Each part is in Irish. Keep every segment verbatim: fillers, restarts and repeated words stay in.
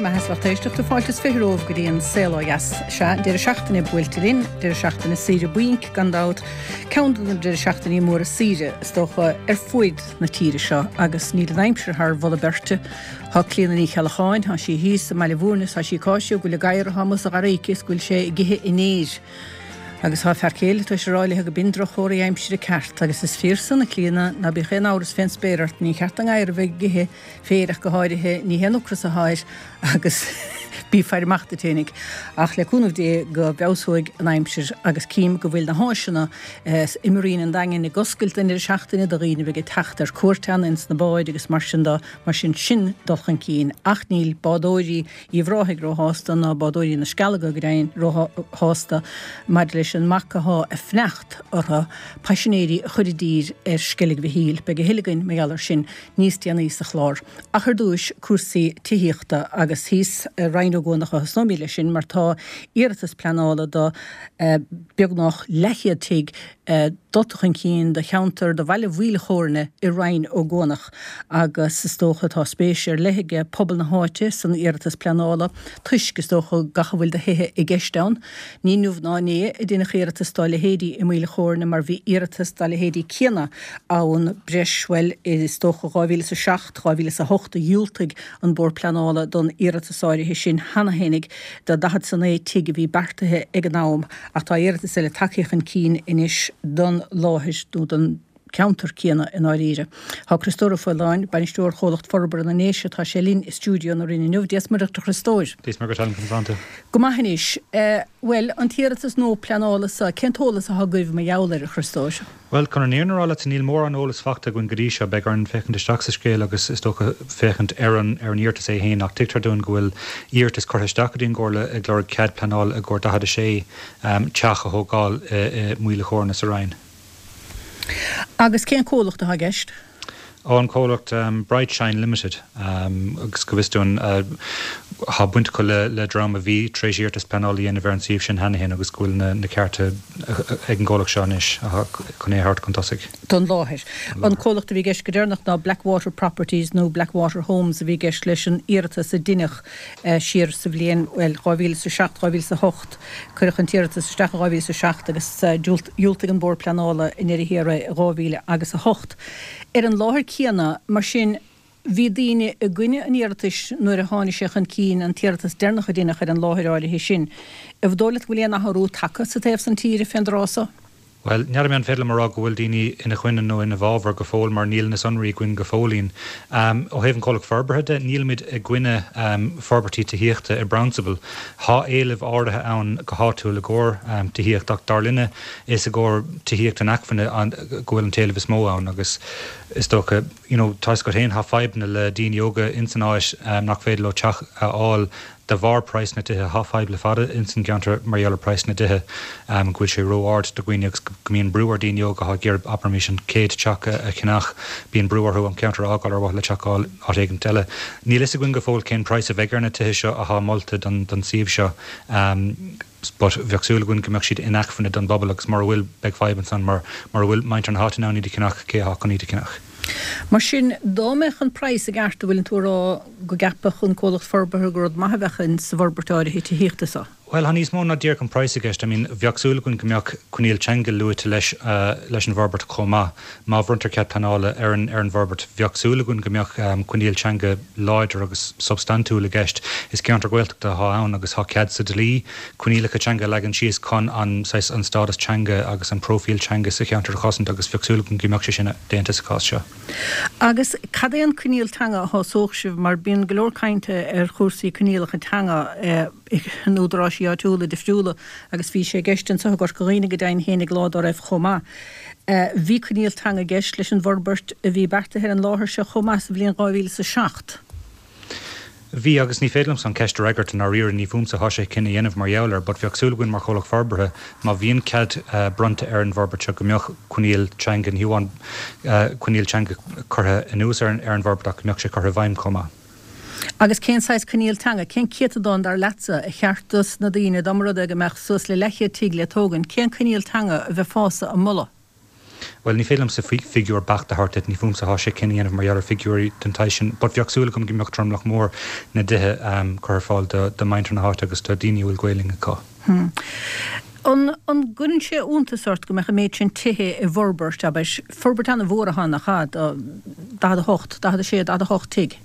mbeatha is lucht éisteachta fáilte is fiche romhaibh go dtí an Saol Ó Dheas. Sea, deireadh seachtaine buailte linn, deireadh seachtaine saoire bainc gan dabht, ceann de na deireadh seachtainí móra saoire, is dócha, ar fuaid na tíre seo agus níl an aimsir thar mholadh beirte. Tá Clíona Ní Cheallacháin, tá sí thíos i mBaile Bhúirne is tá sí ag cáiseamh go bhfuil an gadhar atá amuigh sa gharraí aici is go bhfuil sé ag ithe an fhéir. Agus tá a fear céile tar éis a rá léi go b'in droch-chomhartha aimsire ceart agus is fíor san, a Chlíona, ná bíodh aon amhras fén spéir ort, ní cheart don ngadhar a bheith ag ithe féir ach go háirithe, ní haon ocras atá air agus bí ag faire amach duit fhéinig. Ach le cúnamh Dé go bhfeabhsóidh an aimsir agus cím go bhfuil na háiseanna i Marina an Daingin ag oscailt don deireadh seachtaine do dhaoine a bheidh ag teacht ar cuairt ann ins na báid agus mar sin de, mar sin sin dul chun cinn. Ach níl bádóirí Uíbh Ráthaigh róshásta ná bádóirí na Scealaga go deimhin róshásta maidir leis an mbac athá ag fanacht orthu paisinéirí a chur i dtír ar Sceilg Mhichíl. Beidh a thuilleadh againn mar gheall air sin níos déanaí sa chlár. Ach ar dtúis, cúrsaí tithíochta agus thíos i Rinn Ó gCuanach a thosnóimid leis sin mar tá iarratas pleanála do beagnach leathchéad tigh dulta chun cinn do cheantar do bhaile Mhaoil Chóirne i Rinn Ó gCuanach agus is dócha tá spéis ar leith aige pobal na háite san iarratas pleanála toisc, is dócha, gach a bhfuil de thithe i gceist ann. Ní inniu ná inné a deineadh iarratas dá leithéidí i Maoil Chóirne mar bhí iarratas dá leithéidí céanna ann breis, bhuel, is dócha dhá mhíle is a seacht, dhá mhíle is a hocht a dhiúltaigh an Bord Pleanála don iarratas áirithe sin cheana fhéinig do daichead is a naoi tigh a bhí beartaithe ag an am. Ach tá iarratas eile tagtha chun cinn anois don láthair, nó don cheantar céanna i ndáiríre. Tá Criostóir Ó Faoláin, Bainisteoir Chomhlacht Forbartha na nDéise, tá sé linn i stiúideo na Rinne inniu. Dia 's Muire dhuit a Chriostóir. Dia 's Muire dhuit Helen, conas tánn tú? Go maith anois. Bhuel, an t-iarratas nua pleanála so, cén t-eolas atá agaibh mar gheall air, a Chriostóir? Bhuel, chun an fhírinne a rá leat, níl mórán eolais faighte againn go dtí seo. Beidh orainn féachaint isteach sa scéal agus, is dócha, féachaint ar an ar an iarratas é féin. Ach tuigtear dúinn go bhfuil iarratas curtha isteach go dtí an gComhairle ag lorg cead pleanála i gcomhair daichead a sé teach a thógáil i Maoil a' Chóirne sa Rinn. Agus cén comhlacht atá i gceist? Ó, an comhlacht Bright Shine Limited, agus go bhfios dúinn, tá baint acu le dream a bhí tar éis iarratas pleanála a dhéanamh ar an suíomh sin cheana féin agus go bhfuil na cearta ag an gcomhlacht seo anois chun é a thabhairt chun tosaigh. Don láthair. An comhlacht a bhí i gceist go deireanach ná Blackwater Properties nó Blackwater Homes a bhí i gceist leis an iarratas a deineadh siar sa bhliain, bhuel, dhá mhíle is a seacht, dhá mhíle is a hocht. Cuireadh an t-iarratas isteach i dhá mhíle is a seacht agus dhiúltaigh an Bord Pleanála i ndeireadh thiar é i dhá mhíle agus a hocht. Ar an láthair céanna, mar sin, bhí daoine i gcoinne an iarratais nuair a tháinig sé chun cinn, an t-iarratas deireanach a deineadh ar an láthair áirithe sin. An dóigh leat go bhfuil aon athrú tagtha sa taobh san tíre fén dtráth so? Bhuel, n'fheadar mé an féidir liom a rá go bhfuil daoine ina choinne nó ina bhfabhar go fóill mar níl na sonraí againn go fóillín. Ó thaobh an chomhlacht forbartha de, nílimid i gcoinne forbairtí tithíochta i bprionsabal. Thá éileamh áirithe ann go háitiúil i gcomhair tithíocht ach dar linne is i gcomhair tithíocht inacmhainne go bhfuil an t-éileamh is mó ann agus is dócha, you know, tá 'fhios agat féin, thá fadhbanna le daoine óga ins an áit nach féidir leo teach a fháil de bharr praghas na dtithe. Thá fadhb le fada ins an gceantar mar gheall ar praghas na dtithe, go bhfuil sé ró-ard do dhaoine agus go mbíonn brú ar daoine óga athá ag iarraidh, abraimis, an chéad teach a cheannach, bíonn brú orthu an ceantar a fhágáil ar mhaithe le teach a fháil áit éigint eile. Níl 'fhios againn go fóill cén praghas a bheidh ar na tithe seo athá molta don don suíomh seo. But bheadh súil againn go mbeadh siad inacmhainne don bpobal agus mura bhfuil, beidh fadhb ansan mar mura bhfuil muintir na háite in ann iad a cheannach, cé athá chun iad a cheannach? Mar sin, dá mbeadh an praghas i gceart, an bhfuileann tú a rá go gceapfadh an comhlacht forbartha gur rud maith a bheadh in sa bhforbairt áirithe tithíochta so? Bhuel, tá níos mó ná díreach an praghas i gceist. I mean, bheadh súil againn go mbeadh coinníoll teanga luaite leis leis an bhforbairt chomh maith. Má bhronntar cead pleanála ar an ar an bhforbairt, bheadh súil againn go mbeadh coinníoll teanga láidir agus substaintiúil i gceist. Is ceantar Gaeltachta athá ann agus tá cead sa dlí coinníollacha teanga a leagan síos chun an saghas an stádas teanga agus an próifíl teanga sa cheantar a chosaint agus bheadh súil againn go mbeadh sé sin déanta sa chás seo. Agus cad é an coinníoll teanga a shásódh sibh mar bíonn go leor cainte ar chúrsaí coinníollacha teanga in údaráisí áitiúla difriúla agus bhí sé i gceist anseo i gCorca Dhuibhne go deimhin fhéinig lá dá raibh chomh maith. Bhí coinníoll teanga i gceist leis an bhforbairt a bhí beartaithe ar an láthair seo chomh maith sa bhliain dhá mhíle is a seacht. Bhí, agus ní féidir liomsa an cheist a fhreagairt i ndáiríre, ní fúmsa atá sé cinneadh a dhéanamh mar gheall air, but bheadh súil againn mar chomhlacht forbartha, má bhíonn cead bronnta ar an bhforbairt seo, go mbeadh coinníoll teanga, ní hamháin coinníoll teanga curtha anuas ar an bhforbairt ach go mbeadh sé curtha i bhfeidhm chomh maith. Agus cén saghas coinníoll teanga, cén céatadán dar leatsa, a cheart dos na daoine, dá mba rud é go mbeadh suas le leathchéad tigh le tógaint, cén coinníoll teanga a bheifeása a mholadh? Bhuel, ní féidir liomsa figiúr beacht a thabhairt duit, ní fúmsa atá sé cinneadh a dhéanamh mar gheall ar figiúirí den tsaghas sin, but bheadh súil agam go mbeadh tromlach mór na dtithe curtha ar fáil do mhuintir na háite agus do dhaoine a bhfuil Gaelainn acu. An gcuireann sé iontas ort go mbeadh an méid sin tithe i bhforbairt, abair, forbairt an-mhór atá ann, nach ea, daichead a hocht, daichead a sé, daichead a hocht tigh?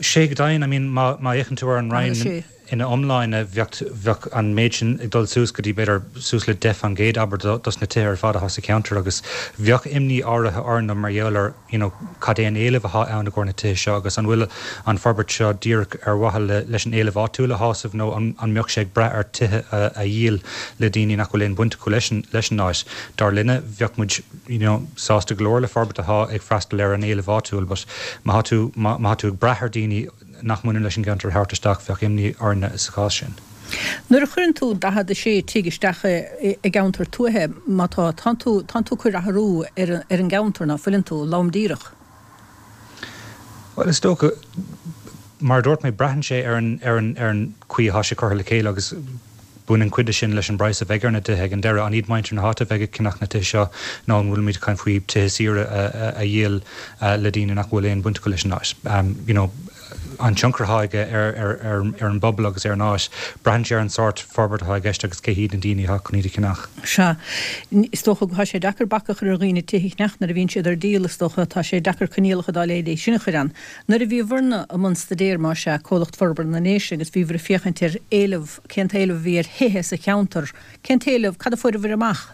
Sé go deimhin, I mean, má má fhéachann tú ar an Roinn ina iomláine, bheadh bheadh an méid sin ag dul suas go dtí b'fhéidir suas le deich faoin gcéad, abair, dos na tithe ar fad atá sa cheantar agus bheadh imní áirithe orainn mar gheall ar, you know, cad é an éileamh atá ann i gcomhair na tithe seo agus an bhfuil an forbairt seo díreach ar mhaithe le leis an éileamh áitiúil a shásamh nó an an mbeadh sé ag brath ar tithe a a dhíol le daoine nach bhfuil aon bhaint acu leis an leis an áit. Dar linne, bheadh muid, you know, sásta go leor le forbairt atá ag freastal ar an éileamh áitiúil but má tá tú má tá tú ag brath ar daoine nach mbaineann leis an gceantar a thabhairt isteach, bheadh imní orainne sa chás sin. Nuair a chuireann tú daichead a sé tigh isteach i gceantar tuaithe, má tá, tánn tú, tánn tú ag cur athrú ar ar an gceantar, ná fuileann tú, lom díreach? Bhuel, is dócha, mar a dúirt mé, braitheann sé ar an, ar an, ar an chaoi atá sé curtha le chéile agus baineann cuid de sin leis an bpraghas a bheidh ar na tithe ag an deireadh. An iad muintir na háite a bheidh ag ceannach na tithe seo nó an bhfuilimid ag caint faoi tithe saoire a dhíol le daoine nach bhfuil aon bhaint acu leis an áit? You know, an tionchar atá aige ar ar ar an bpobal agus ar an áit, braitheann sé ar an sórt forbairt atá i gceist agus cé hiad na daoine atá chun iad a cheannach. Sea. Is dócha go tá sé deacair bac a chur ar dhaoine tithe a cheannach nuair a bhíonn siad ar díol, is dócha. Tá sé deacair coinníollacha dá leithéid sin a chur ann. Nuair a bhíobhairne i mbun staidéir, más ea, Comhlacht Forbartha na nDéise, agus bhíobhair ag féachaint ar éileamh, cén t-éileamh a bhí ar thithe sa cheantar, cén t-éileamh, cad a fuaireabhair amach?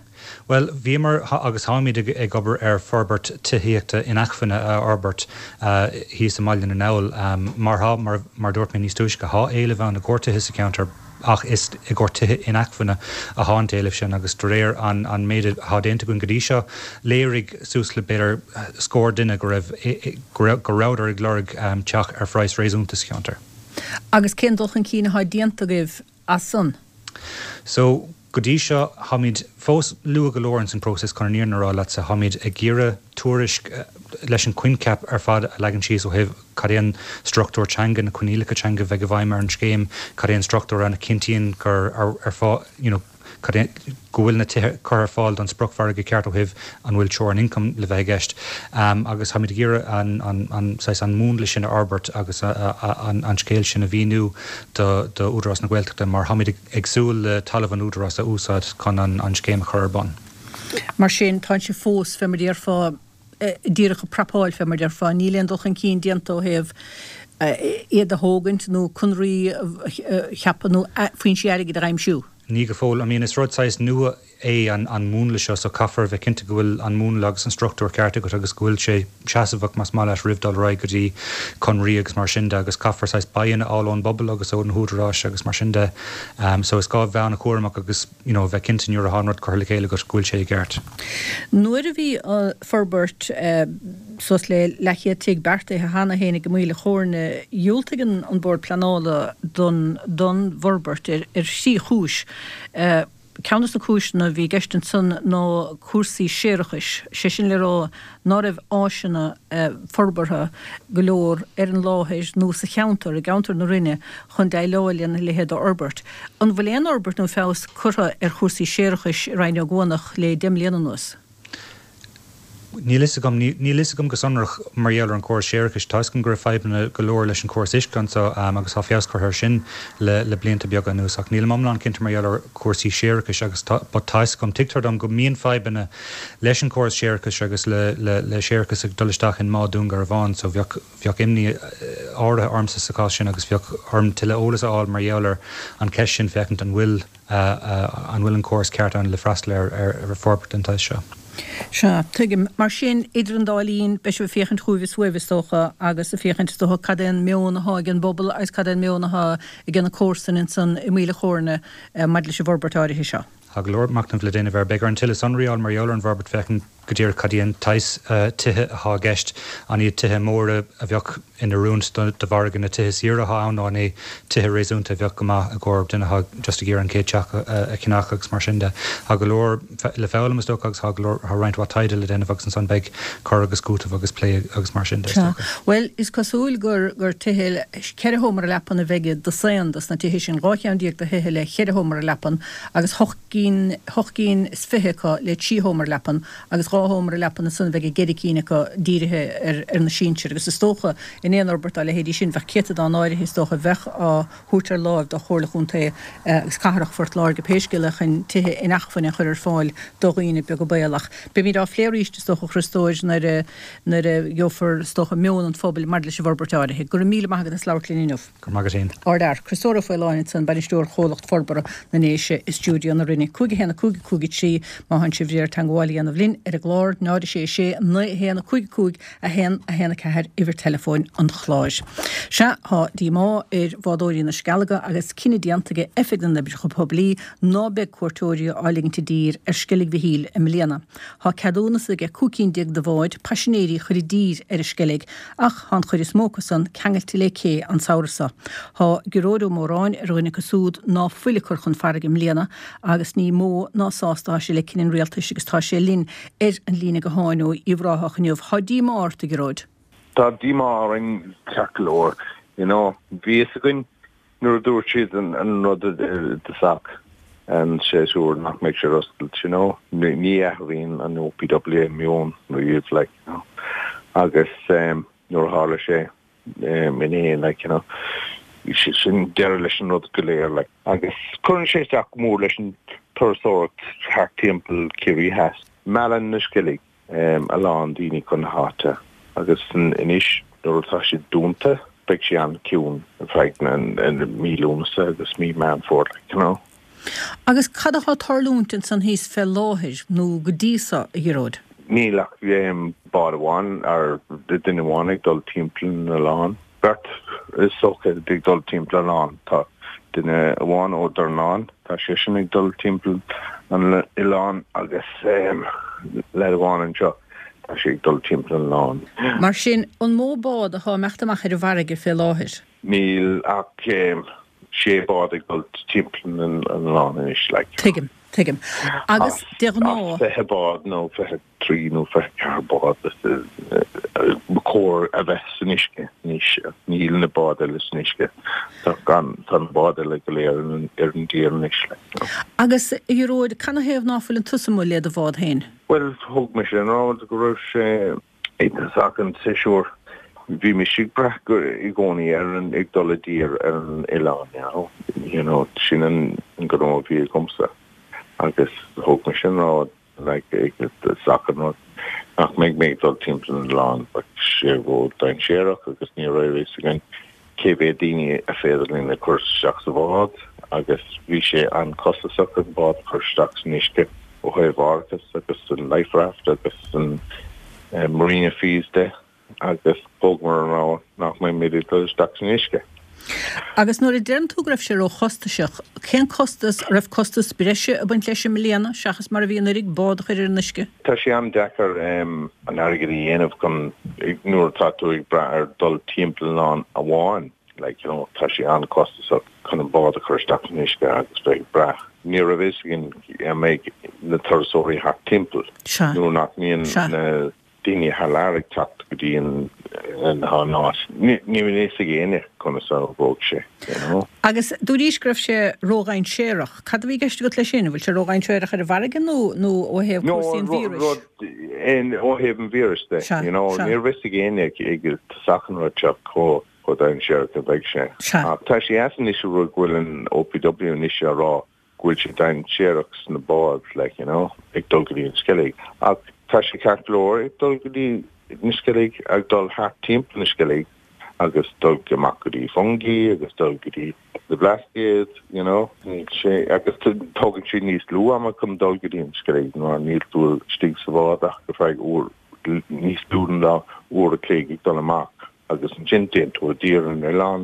Bhuel, bhíomar agus táimid ag obair ar forbairt tithíochta inacmhainne a fhorbairt thíos i mBaile na nGall. Mar tá, mar a dúirt mé níos túisce, tá éileamh ann i gcomhair tithe sa cheantar ach is i gcomhair tithe inacmhainne atá an t-éileamh sin agus de réir an an méid atá déanta againn go dtí seo, léirigh suas le b'fhéidir scór duine go raibh go rabhadar ag lorg teach ar phraghas réasúnta sa cheantar. Agus cén dul chun cinn atá déanta agaibh as san? So, go dtí seo, táimid fós luath go leor ins an próiseas chun an fhírinne a rá leatsa. Táimid ag iarraidh tuairisc leis an coincheap ar fad a leagan síos ó thaobh cad é an struchtúr teanga, na coinníollacha teanga a bheidh i bhfeidhm ar an scéim, cad é an struchtúr ann a chinntíonn gur ar fáil, you know, cad é, go bhfuil na tithe curtha ar fáil don spriocmhargadh ceart ó thaobh an bhfuil teorainn ioncaim le bheith i gceist. Agus táimid ag iarraidh an, an, an, saghas an múnla sin a fhorbairt agus an, an scéal sin a mhíniú do, do Údarás na Gaeltachta mar táimid ag, ag súil le talamh an Údaráis a úsáid chun an, an scéim a chur ar bun. Mar sin, tá sibh fós, fé mar a déarfá, díreach ag prapáil, fé mar a déarfá. Níl aon dul chun cinn déanta ó thaobh iad a thógaint nó conraí a cheapadh nó foinsí airgid a aimsiú. Ní go fóill. I mean, is rud saghas nua é an an múnla seo so caithfear a bheith cinnte go bhfuil an múnla agus an struchtúr ceart agat agus go bhfuil sé seasmhach más maith leat roimh dul ar aghaidh go dtí conraí agus mar sin de agus caithfear saghas buy-in a fháil ón bpobal agus ó na húdaráis agus mar sin de. So is gá a bheith an-chúramach agus you know, bheith cinnte nuair atá an rud curtha le chéile agat go bhfuil sé i gceart. Nuair a bhí forbairt suas le leathchéad tigh beartaithe cheana féin ag an Maoil a' Chóirne, dhiúltaigh an Bord Pleanála don don bhforbairt ar ar thrí chúis. Ceann de na cúiseanna a bhí i gceist ansan ná cúrsaí séarachais, sé sin le rá ná raibh áiseanna forbartha go leor ar an láthair nó sa cheantar, i gceantar na Rinne, chun déileáil lena leithéid d'fhorbairt. An bhfuil aon fhorbairt nó feabhas curtha ar chúrsaí séarachais i Rinn Ó gCuanach le deich mbliana anuas? Níl fhios agam. Níl fhios agam go sonrach mar gheall ar an chóras séarachais. Tá fhios agam go raibh fadhbanna go leor leis an chóras uisce anseo agus tá feabhas curtha air sin le le blianta beaga anuas ach nílim iomlán cinnte mar gheall ar chúrsaí séarachais agus tá but tá fhios agam, tuigtear dom go mbíonn fadhbanna leis an chóras séarachais agus le le le séarachas ag dul isteach in mBá Dún Garbhán so bheadh bheadh imní áirithe ormsa sa chás sin agus bheadh orm tuilleadh eolas a fháil mar gheall ar an cheist sin féachaint an bhfuil an bhfuil an córas ceart ann le freastal ar ar forbairt den tsaghas seo. Sea, tuigim. Mar sin, idir an dá linn, beidh sibh ag féachaint chugaibh is uaibh, is dócha, agus ag féachaint, is dócha, cad é an meon atá ag an bpobal agus cad é an meon atá ag na comharsana ansan i Maoil a' Chóirne maidir leis an bhforbairt áirithe seo. Tá go leor machnaimh le déanamh air. Beidh orainn tuilleadh sonraí a fháil mar gheall ar an bhforbairt féachaint go díreach cad é an tsaghas tithe atá i gceist, an iad tithe móra a bheadh in oiriúint do mhargadh na tithe saoire atá ann nó an é tithe réasúnta a bheadh go maith i gcomhair duine atá just ag iarraidh an chéad teach a cheannach agus mar sin de. Tá go leor le foghlaim is dócha agus tá go leor, tá roinnt mhaith taighde le déanamh agus ansan beidh cur agus cúiteamh agus plé agus mar sin de is Sea. dócha. Bhuel, is cosúil gur gur tithe le ceithre sheomra leapan a bheidh i dosaen dos na tithe sin, dhá cheann déag de thithe le cheithre sheomra leapan agus hocht gcinn, hocht gcinn is fiche acu le trí sheomra leapan agus dhá dhá sheomra leapan ansan bheadh a gceithre cinn acu dírithe ar ar na sinsir agus is dócha in aon fhorbairt dá leithéidí sin bheadh céatadán áirithe is dócha a bheadh á thabhairt ar láimh do Chomhairle Chontae agus Cathrach Phort Láirge pé scéal é chun tithe inacmhainne a chur ar fáil do dhaoine beaga baolach. Beimid á phlé arís is dócha a Chriostóir nuair a nuair a gheofar is dócha meon an phobail maidir leis an bhforbairt áirithe. Go raibh míle maith agat as labhairt linn inniu. Go raibh maith agat féin. Ardfhear, Criostóir Ó Faoláin ansan, Bainisteoir Chomhlacht Forbartha na nDéise i stiúideo na Rinne. cúig a haon a cúig a cúig a trí má thánn sibh ag iarraidh teagmháil a dhéanamh linn ar an gclár, náid a sé a sé naoi a haon a cúig a cúig a haon a haon a ceathair uimhir teileafóin an chláir. Sea, tá díomá ar bhádóirí na Scealga agus cinneadh déanta ag Oifig na nOibreacha Poiblí ná beidh cuairteoirí á ligint i dtír ar Sceilg Mhichíl i mbliana. Tá ceadúnas ag cúig cinn déag de bháid paisinéirí a chur i dtír ar an Sceilg ach tá an chuid is mó acu san ceangailte le cé an samhradh seo. Tá Gearóid Ó Móráin ar dhuine acu súd ná fuil ag cur chun farraige i mbliana agus ní mó ná sásta atá sé le cinneadh an rialtais agus tá sé linn ar an líne gutháin ó Uíbh Ráthach inniu. Tá díomá ort, a Ghearóid? Tá díomá orainn ceart go leor. You know, bhí fhios againn nuair a dúirt siad an rud i dtosach an séasúr nach mbeidh sé ar oscailt, you know. Ní athraíonn an OPW meon riamh, like, you know. Agus nuair a tharla sé inné, like, you know, sin deireadh leis an rud go léir, like. Agus cuireann sé isteach go mór leis an turasóireacht thart timpeall Ciarraí Theas. Meallann na Sceilg a lán daoine chun na háite agus anois nuair atá siad dúnta beidh sé an-chiúin ar feadh mí Lúnasa agus mí Meán Fómhair, like, you know. Agus cad atá ag tarlúint ansan thíos fé láthair nó go dtí so, a Ghearóid? Níl ach bád amháin ar duine amháin ag dul timpeall an oileáin. Beirt is dócha ag dul timpeall an oileáin. Tá duine amháin ó Dornán, tá seisean ag dul timpeall an oileáin agus leaid amháin anseo, tá sé ag dul timpeall an oileáin. Mar sin, an mó bád atá ag imeacht amach ar an bhfarraige fé láthair? Níl ach sé bád ag dul timpeall an oileáin anois, like. Tuigim. Tuigim. Agus de ghnáth. As fiche bád nó fiche trí nó fiche ceathair bád ba chóir a bheith san uisce anois ach níl na báid eile san uisce. Tá gan, tá na báid eile go léir ar an dtír anois. Agus a Ghearóid, canathaobh ná fuileann tusa amuigh le do bhád féin? Bhuel, thóg mise an rogha go raibh sé i dtosach an tséasúir. Bhí mise ag brath i gcónaí ar an, ag dul i dtír ar an oileán, you know. You know, sin an gnó a bhí agamsa. Agus thóg mise an rogha, like, ag dtosach an rud, nach mbeidh mé ag dul timpeall an oileáin, bheadh sé ró-dainséarach agus ní raibh a fhios againn cé mhéad daoine a féidir linn a chur isteach sa bhád agus bhí sé an-chostasach an bád a chur isteach san uisce ó thaobh árachas agus an life raft agus an marina fees de. agus thógamar an rogha nach mbeimid ag dul isteach san uisce. Agus nuair a deireann tú go raibh sé róchostasach, cén costas, an raibh costas breise ag baint leis i mbliana seachas mar a bhí anuraidh, bád a chur ar an uisce? Tá sé an-deacair an airgead a dhéanamh chun, nuair atá tú ag brath ar dul timpeall an oileáin amháin, like, you know, tá sé an-chostasach chun an bád a chur isteach san uisce agus bheith ag brath. Ní raibh a fhios againn an mbeidh na turasóirí thart timpeall nuair nach mbíonn na daoine thar lear ag teacht go dtí an áit. Ní raibh a fhios ag éinne conas a oibreodh sé, you know. Agus dúraís go raibh sé ródhainséarach. Cad a bhí i gceist agat leis sin? An bhfuil sé ródhainséarach ar an bhfarraige nó nó ó thaobh cúrsaí an víris? No, rud, ó thaobh an víris de, you know. Ní raibh a fhios ag éinne ag tosach an rud seo chomh chomh dainséarach a bheidh sé. Ach tá sé ait anois an rud go bhfuil an OPW anois á rá go bhfuil sé dainséarach sna báid, like, you know, ag dul go dtí an Sceilg. Ach tá sé ceart go leor ag dul go dtí na Sceilg, ag dul thart timpeall na Sceilg agus dul amach go dtí Fungie agus dul go dtí na Blascaod, you know. Níl sé, agus tógann sé níos lú ama chun dul go dtí an Sceilg mar níl tú istigh sa bhád ach go feadh uair, níos lú ná uair a chloig ag dul amach. agus ansin téann tú i dtír ar an oileán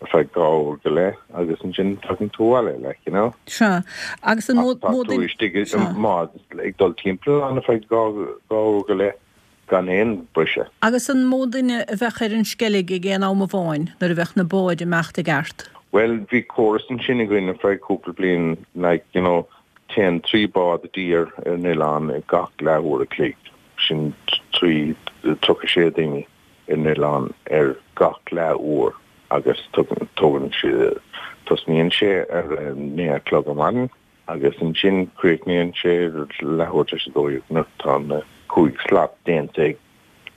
ar feadh dhá uair go leith agus ansin tagann tú abhaile, like, you know. Sea. Agus an mó, Ach tá mó tú duine, istigh i sea. mbád ag dul timpeall an oileáin ar feadh dhá, dhá uair go leith gan aon briseadh. Agus an mó duine a bheadh ar an Sceilg ag aon am amháin nuair a bheadh na báid ag imeacht i gceart? Bhuel, bhí córas ansin againn ar feadh cúpla bliain, like, you know, téann trí bád i dtír ar an oileán ag gach leathuair a chloig, sin trí, tríocha sé daoine. ar an oileán ar gach leath uair agus tógann sé, tosnaíonn sé ar a naoi a chlog ar maidin agus ansin críochnaíonn sé leathuair tar éis a dó dhéag nuair atá na cúig slat déanta ag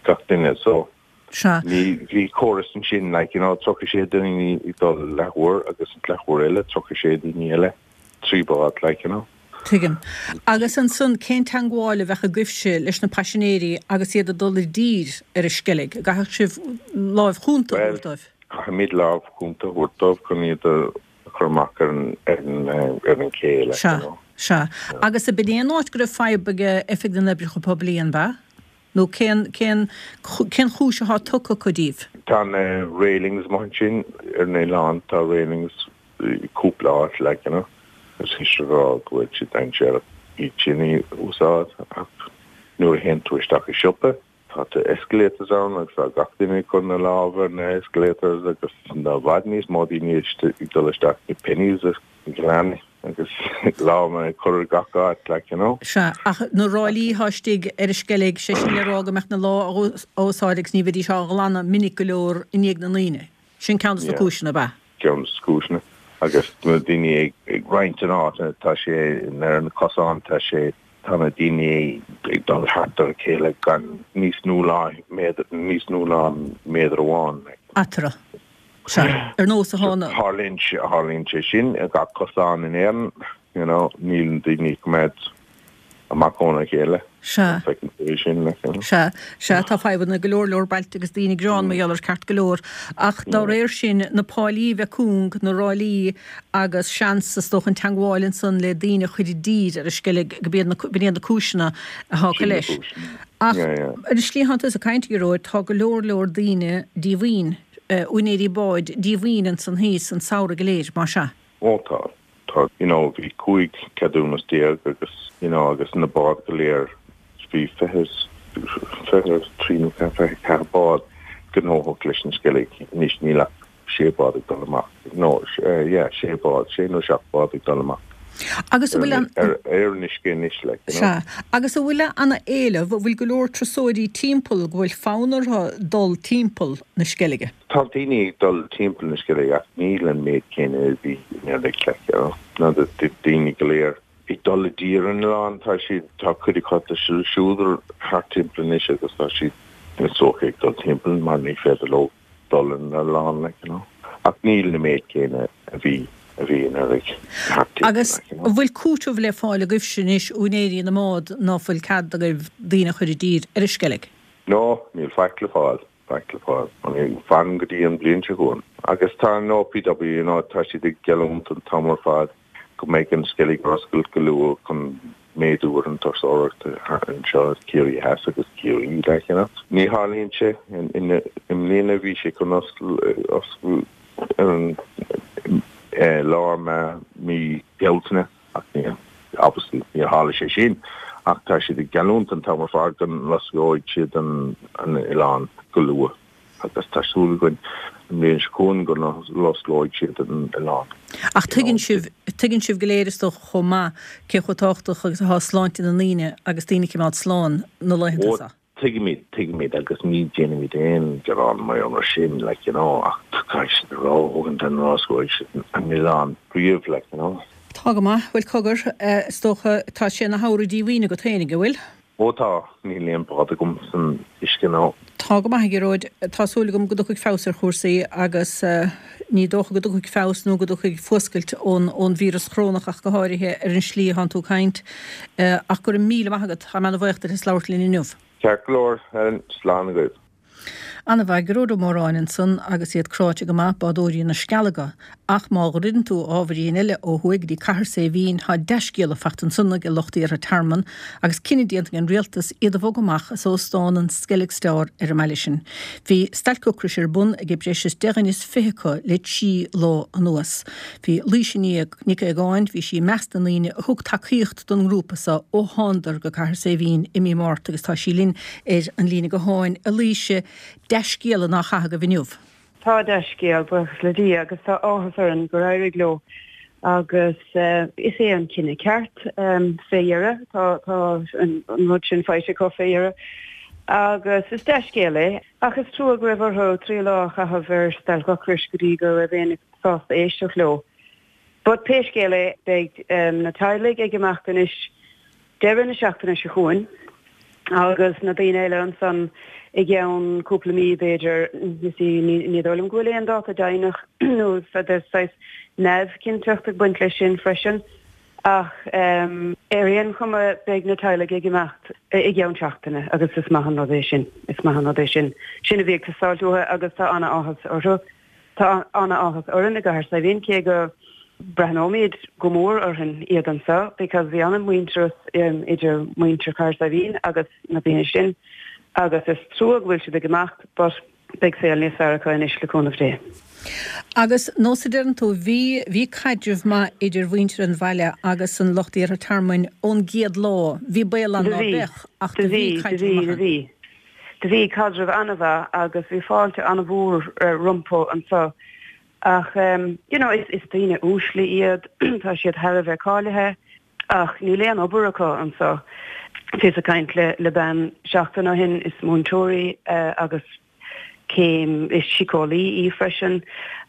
gach duine so Sea. Ní bhí córas ansin like you know tríocha sé daoine ag dul leathuair agus an leathuair eile tríocha sé daoine eile trí bád like you know. Tuigim. Agus ansan cén teangmháil a bheadh agaibhse leis na paisinéirí agus iad ag dul i dtír ar an Sceilg? An gcaithfidh sibh lámh chúnta a thabhairt dóibh? Well, caithfimid lámh chúnta a thabhairt dóibh chun iad a chur amach ar an ar an ar an ché like Sea, you know. sea. Agus ab in é an áit go raibh fadhb ag Oifig na nOibreacha Poiblí, an b'ea? Nó cén, cén, cén chúis atá tugtha acu daoibh? Tá na railings amuigh ansin ar an oileán, tá railings i cúpla áit like, you know, agus is a rá go bhfuil siad dainséarach iad sin a úsáid ach nuair a théann tú isteach i siopa tá na escalators ann agus tá gach duine ag cur na lámha ar na escalators agus tá i bhfad níos mó daoine ag dul isteach i Penneys i gCill Airne agus lámha ag cur gach áit, like, you know. Sea, ach na ráillí atá istigh ar an Sceilg, sé sin le rá go mbeadh na lámha á úsáid agus ní bheidís á nglanadh minic go leor i ndiaidh na ndaoine. Sin ceann dos na cúiseanna, ab ea? Ceann dos na cúiseanna. Agus na daoine ag, ag roinnt an áit, tá sé, ar na cosáin, tá sé, tá na daoine ag dul thart ar a chéile gan níos nó ná méadar, níos nó ná méadar amháin, like. Eatarthu. Sea, ar nós a thána. Tharlaíonn sé, tharlaíonn sé sin ar gach cosán in Éirinn, you know, níl na daoine ag coimeád amach óna chéile. Sea. Feiceann tú é sin, like, you know. Sea, sea, tá fadhbanna i go leor leor bailte agus daoine ag gearán mar gheall air ceart go leor. Ach dá réir sin, na páilí a bheith cúng, na ráillí agus seans, is dócha, an teangmháil ansan le daoine a chur i dtír ar an Sceilg, go b'iad na, b'in iad na cúiseanna atá acu Sin na leis. cúiseanna. Ach Yeah, yeah. ar an slí atá tusa ag caint, a Ghearóid, tá go leor leor daoine díomhaoin, úinéirí báid díomhaoin ansan thíos an samhradh go léir, más ea? Ó tá, tá, you know, bhí cúig ceadúnas déag agus, you know, agus na báid go léir, bhí fiche, fiche trí nó fiche ceathair bád gnóthach leis an Sceilg, anois níl ach sé bád ag dul amach, no, yeah, sé bád, sé nó seacht bád ag dul amach. Agus an bhfuil an. Ar an uisce anois, like, you know. Sea. Agus an bhfuil ana-éileamh, an bhfuil go leor turasóirí timpeall, go bhfuil fonn orthu dul timpeall na Sceilge? Tá daoine ag dul timpeall na Sceilge ach níl an méid céanna a bhí anuraidh, like, you know. Ná daoine go léir ag dul i dtír ar an oileán, tá siad, tá cuid acu ag siúl thart timpeall anois agus tá siad is dócha ag dul timpeall mar ní féidir leo dul ar an oileán, like, you know. Ach níl na méid céanna a bhí a bhí anuraidh thart timpeall, Agus like, you know. an bhfuil cúiteamh le fáil agaibhse anois, úinéirí na mbád, ná fuil cead agaibh daoine a chur i dtír ar an Sceilg? No, níl faic le fáil, faic le fáil. Fan go dtí an bhliain seo chugainn. Agus tá an OPW, you know, tá siad ag geallúint an t-am ar fad go mbeidh an Sceilg ar oscailt go luath chun méadú ar an turasóireacht anseo i Ciarraí Theas agus Ciarraí, like, you know. Ní tharlaíonn sé. I mbliana bhí sé chun oscailt ar an lár mí Bealtaine ach ní, obviously, níor tharla sé sin. Ach tá siad ag geallúint an t-am ar fad go n-osclóidh siad an oileán go luath. Agus tá súil againn an bhliain seo chugainn go n-osclóidh siad an oileán. Ach tuigeann sibh, tuigeann sibh go léir is dócha chomh maith cé chomh tábhachtach agus atá sláinte na ndaoine agus daoine a choimeád slán na laethanta Ó, seo. tuigimid, tuigimid agus ní déanaimid aon ghearán mar gheall air sin, like, you know, ach caithfidh siad a rá, thógann an n-osclóidh siad an oileán riamh, like, you know. Tá go maith. Bhuel, cogar, is dócha, tá sé ina shamhradh díomhaoin agat féinig, an bhfuil? Ó tá, níl aon bád agam san uisce ná. Tá go maith, a Ghearóid. Tá súil agam go dtiocfaidh feabhas ar chúrsaí agus ní dócha go dtiocfaidh feabhas nó go dtiocfaidh fuascailt ón ón víreas chorónach ach go háirithe ar an slí atánn tú ag caint. Ach go raibh míle maith agat. Tá mé ana-bhuíoch duit as labhairt linn inniu. Ceart go leor, Helen. Slán agaibh. Ana-mhaith, Gearóid Ó Móráin ansan agus iad cráite go maith, bádóirí na Scealaga. Ach má dhruideann tú ábhairín eile ó thuaidh go dtí Cathair Saidhbhín, tá dea-scéala fachta ansan ag lucht iarrtha tearmann agus cinneadh déanta ag an rialtas iad a bhogadh amach as óstán an Skellig Star ar an mbaile sin. Bhí stailc ocrais ar bun ag breis is deich dhuine is fiche acu le trí lá anuas. Bhí Laoise Nic Aogáin, bhí sí i measc na ndaoine a thug tacaíocht don ngrúpa so ó thánadar go Cathair Saidhbhín i mí Márta agus tá sí linn ar an líne gutháin. A Laoise, dea-scéala nach ea agaibh inniu? Tá dea-scéal, buíochas le Dia, agus tá áthas orainn gur éirigh leo agus is é an cinneadh ceart fé dheireadh, tá an rud sin faighte acu fé dheireadh agus is dea-scéal é. Ach is trua go raibh orthu trí lá a chaitheamh ar stailc ocrais go dtí go raibh éinne sásta éisteacht leo. But pé scéal é, beidh na teaghlaigh ag imeacht anois deireadh na seachtaine seo chugainn Agus na daoine eile ansan i gceann cúpla mí b'fhéidir, you see, ní dóigh liom go bhfuil aon dáta deimhneach nó there's saghas neamhchinnteacht ag baint leis sin freisin. Ach ar aon chuma beidh na teaghlaigh ag imeacht i gceann seachtaine agus is maith an rud é sin, is maith an rud é sin. Sin a bhí ag teastáilt uathu agus tá ana-áthas orthu. Tá ana-áthas orainn i gCathair Saidhbhín cé go breathnóimid go mór orainn iad anseo because bhí ana-mhuintearas idir muintir Chathair Saidhbhín agus na daoine sin agus is trua go bhfuil siad ag imeacht but beidh saol níos fearr acu anois le cúnamh Dé. Agus nós a deireann tú, bhí, bhí caidreamh maith idir mhuintir an bhaile agus an lucht iarrtha tearmainn ón gcéad lá. Bhí baol ann Do ná bhí, beadh ach do do bhí bhí, do caidreamh bhí, maith do ann. bhí. Do bhí caidreamh an-mhaith agus bhí fáilte an-mhór rompu anseo. Ach you know is is daoine uaisle iad, tá siad thar a bheith cáilithe ach níl aon obair acu anseo. Bhíos ag caint le le bean seachtain ó shin, is múinteoir í agus céim, is síceolaí í freisin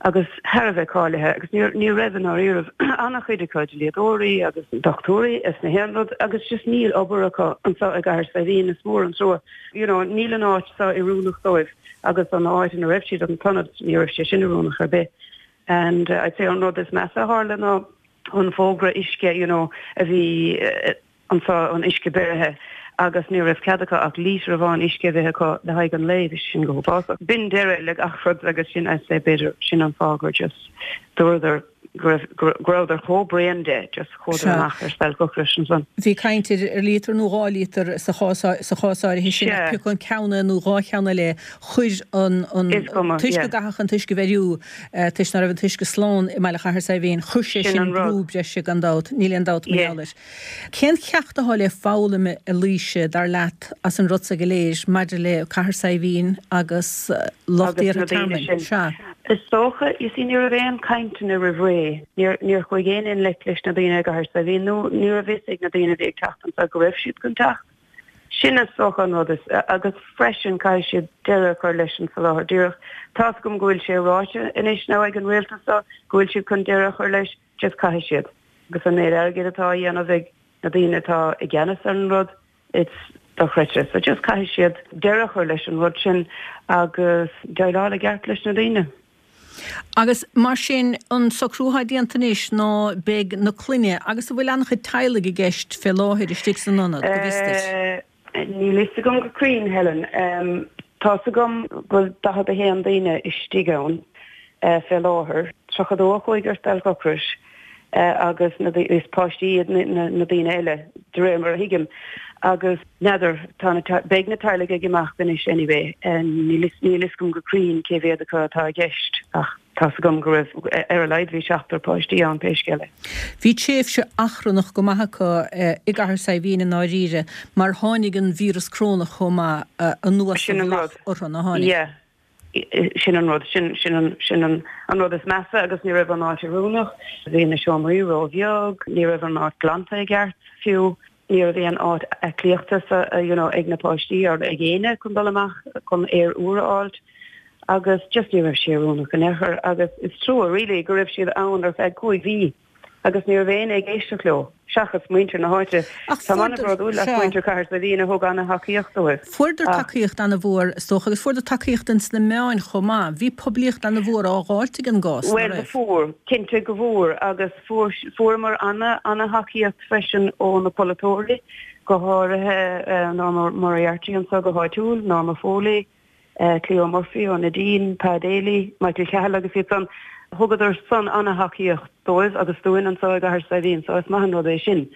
agus thar a bheith cáilithe agus ní ní raibh i ndáiríribh an-chuid acu, dlíodóirí agus dochtúirí is na haon rud agus just níl obair acu anseo i gCathair Saidhbhín, is mór an trua. You know níl an áit seo oiriúnach dóibh. Agus an áit ina raibh siad, an t-ionad, ní raibh sé sin oiriúnach ar bith. And I'd say an rud is measa a tharla ná an fógra uisce, you know, a bhí anseo, an uisce beirithe, agus ní raibh cead acu ach lítear amháin uisce a bheith acu le haghaidh an lae, bhí sin go huafásach. B'in deireadh le gach rud agus sin, I'd say, b'fhéidir, sin an fáth gur just dúradar go raibh, go rabhadar chomh bréan de, just chuadar amach ar stailc ocrais ansan. Bhí caint ar ar líotar nó dhá líotar sa chás sa chás áirithe sin ach pé acu an ceann é nó dhá cheann eile chuir an an toisc go gcaithfeadh an t-uisce a bheiriú toisc ná raibh an t-uisce slán i mbaile Chathair Saidhbhín, chuir sé sin brú breise gan dabht, níl aon dabht mar gheall air. Cén cheacht atá le foghlaim a Laoise, dar leat, as an rud seo go léir maidir le Cathair Saidhbhín agus lucht Agus na iarrtha daoine tearmainn? sin. Sea. Is dócha, you see, ní raibh aon cainteanna roimh ré, níor, níor chuaigh éinne i ngleic leis na daoine i gCathair Saidhbhín nó ní raibh fhios ag na daoine a bhí ag teacht anseo go raibh siad chun teacht. Sin is dócha an rud is, agus freisin caithfidh siad deireadh a chur leis an soláthar díreach. Tá's agam go bhfuil sé ráite anois now ag an rialtas seo go bhfuil siad chun deireadh a chur leis, just caithfidh siad. Agus an méid airgid atá á dhéanamh ag na daoine atá i gceannas ar an rud, it's dochreidte. So just caithfidh siad deireadh a chur leis an rud sin agus déileáil i gceart leis na daoine. Agus mar sin, an socrú atá déanta anois ná beidh na clainne, agus an bhfuil an-chuid teaghlaigh i gceist fé láthair istigh san ionad, go bhfios duit? Níl fhios agam go cruinn, Helen. Tá's agam go bhfuil daichead a haon daoine istigh ann fé láthair, tríocha dó a chuaigh ar stailc ocrais agus na is páistí iad na daoine eile, de réir mar a thuigim. Agus n'fheadar, tá na beidh na teaghlaigh ag imeacht anois anyway. Níl níl fhios agam go cruinn cé mhéad acu atá i gceist ach tá's agam go raibh, ar a laghad bhí seachtar páistí ann pé scéal é. Bhí tréimhse achrannach go maith acu i gCathair Saidhbhín i ndáiríre mar tháinig an víreas corónach chomh maith anuas Sin sa an mhullach rud. orthu, nár tháinig? Yeah. Sin an rud, sin, sin an, sin an, an rud is measa agus ní raibh an áit oiriúnach, bhí na seomraí ró-bheag, ní raibh an áit glanta i gceart fiú, ní raibh aon áit aclaíochta sa, you know, ag na páistí or ag éinne chun dul amach chun aer úr a fháilt agus just ní raibh sé oiriúnach in aon chor agus is trua really go raibh siad ann ar feadh cúig mhí. Agus ní raibh éinne ag éisteacht leo, seachas muintir na háite. Ach Táim fuaireadar, an-bhródúil as sea. muintir Chathair Saidhbhín a thug an-thacaíocht dóibh. Fuaireadar Ach. tacaíocht an-mhór, is dócha, agus fuaireadar tacaíocht ins na meáin chomh maith. Bhí poiblíocht an-mhór á dh'fháilt ag an gcás, ná Bhuel, raibh? fuair, cinnte go bhfuair, agus fuair, fuaireamar ana, ana-thacaíocht freisin ó na polaiteoirí, go háirithe Norma Moriarty anseo go háitiúil, Norma Foley, Cleo Murphy ó Nadine, Pa Daly, Michael Cahill agus iad san, thugadar san ana-thacaíocht dóibh agus dúinn anseo i gCathair Saidhbhín so is maith an rud é sin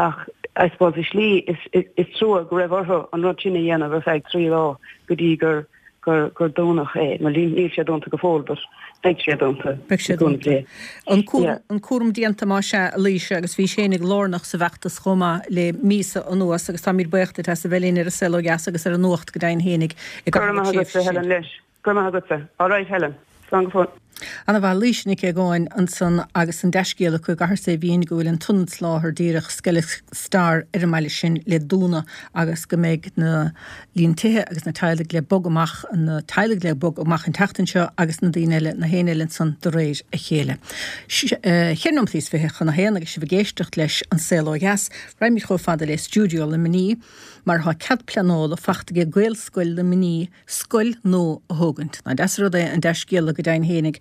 ach I suppose i slí is, is trua go raibh orthu an rud sin a dhéanamh ar feadh trí lá go dtí gur gur gur dúnadh é. Bhuel níl sé dúnta go fóill but beidh sé dúnta. Beidh sé dúnta. An cúram, an cúram déanta más ea, a Laoise, agus bhís fhéinig lárnach sa bhfeachtas chomh maith le míosa anuas agus táimid buíoch duit as a bheith linn ar An Saol Ó Dheas agus ar an Nuacht go deimhin fhéinig i Go raibh gcaitheamh na maith tréimhse agatsa, sin. Helen, leis. Go raibh maith agatsa. All right, Helen. Slán go fóill. Ana-mhaith. Laoise Nic Aogáin ansan agus an dea-scéal acu i gCathair Saidhbhín go bhfuil an t-ionad soláthair díreach Skellig Star ar an mbaile sin le dúnadh agus go mbeidh na líon tithe agus na teaghlaigh le bogadh amach, na teaghlaigh le bogadh amach an tseachtain seo agus na daoine eile, na héinne eile ansan de réir a chéile. Ceithre nóiméad is fiche chun a haon agus sibh ag éisteacht leis An Saol Ó Dheas, raghaimid chomh fada le stiúideo Luimnigh mar tá cead pleanála fachta ag Gaelscoil Luimnigh scoil nua a thógaint. Nach deas an rud é an dea-scéala go deimhin fhéinig.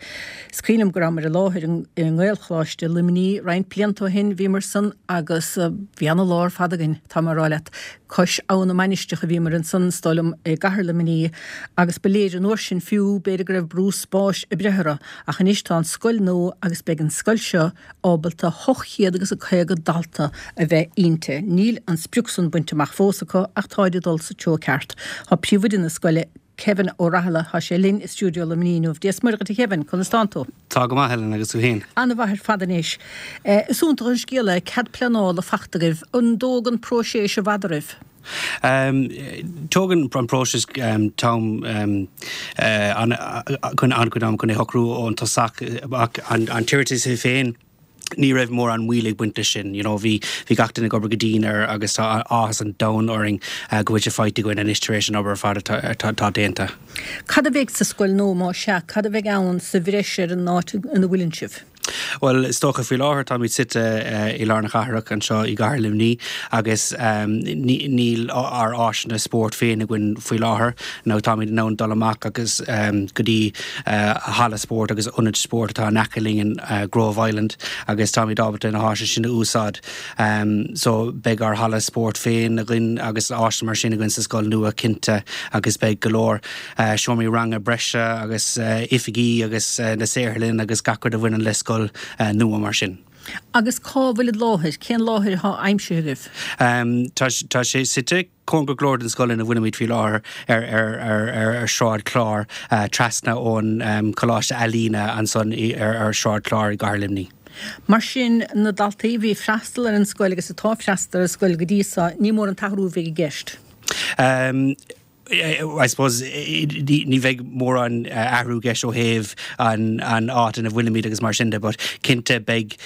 Is cuimhin liom go rabhamar i láthair i nGaelcholáiste Luimnigh roinnt blianta ó shin, bhíomar san agus bhí ana-lá ar fad againn, tá mé a rá leat. Cois Abha na Mainistreach a bhíomar ansan, is dóigh liom, i gcathair Luimnigh agus ba léir an uair sin fiú, b'fhéidir go raibh brú spáis ag breith orthu, ach anois tá an scoil nua agus beidh an scoil seo ábalta hocht chéad agus a caoga dalta a bheith inti. Níl an sprioc san bainte amach fós acu ach táid ag dul sa treo ceart. Tá príomhoide na scoile, Kevin Ó Rathaille, tá sé linn i stiúideo Luimnigh inniu. Dia 's Muire dhuit a Kevin, conas tánn tú? Tá go maith Helen, agus tú féin? Ana-mhaith ar fad anois. Is iontach an scéal é cead pleanála fachta agaibh. An dtógann próiseas i bhfad oraibh? Tógann an próiseas t-am an-chuid ama chun é a shocrú ón tosach ach an t-iarratas é féin, ní raibh mórán moill ag baint leis sin. You know, bhí bhí gach duine ag obair go dian air agus tá áthas an domhain orainn go bhfuil sé faighte againn anois tar éis an obair ar fad atá atá déanta. Cad a bheidh sa scoil nua, más ea, cad a bheidh ann sa bhreis ar an áit ina bhfuileann sibh? Bhuel, is dócha faoi láthair táimid suite i lár na cathrach anseo i gcathair Luimnigh agus níl ár áiseanna spóirt féin againn faoi láthair nó táimid in ann dul amach agus go dtí halla spóirt agus ionad spóirt atá in aice linn in Grove Island agus táimid ábalta na háiseanna sin a úsáid. So beidh ár halla spóirt féin againn agus áiseanna mar sin againn sa scoil nua cinnte agus beidh go leor seomraí ranga breise agus oifigí agus na saotharlann agus gach rud a bhaineann le scoil nua mar sin. Agus cá bhfuil an láthair? Cén láthair atá aimsithe agaibh? Tá sé suite cóngarach go leor don scoil ina bhfuilimid faoi láthair ar Shráid Chláir, trasna ón Choláiste Ealaíne ansan ar Shráid Chláir i gcathair Luimnigh. Mar sin, na daltaí a bhí ag freastal ar an scoil agus atá ag freastal ar an scoil go dtí seo, ní mór an t-athrú a bheidh i gceist. I suppose ní bheidh mórán athrú i gceist ó thaobh an áit ina bhfuilimid agus mar sin de but cinnte beidh,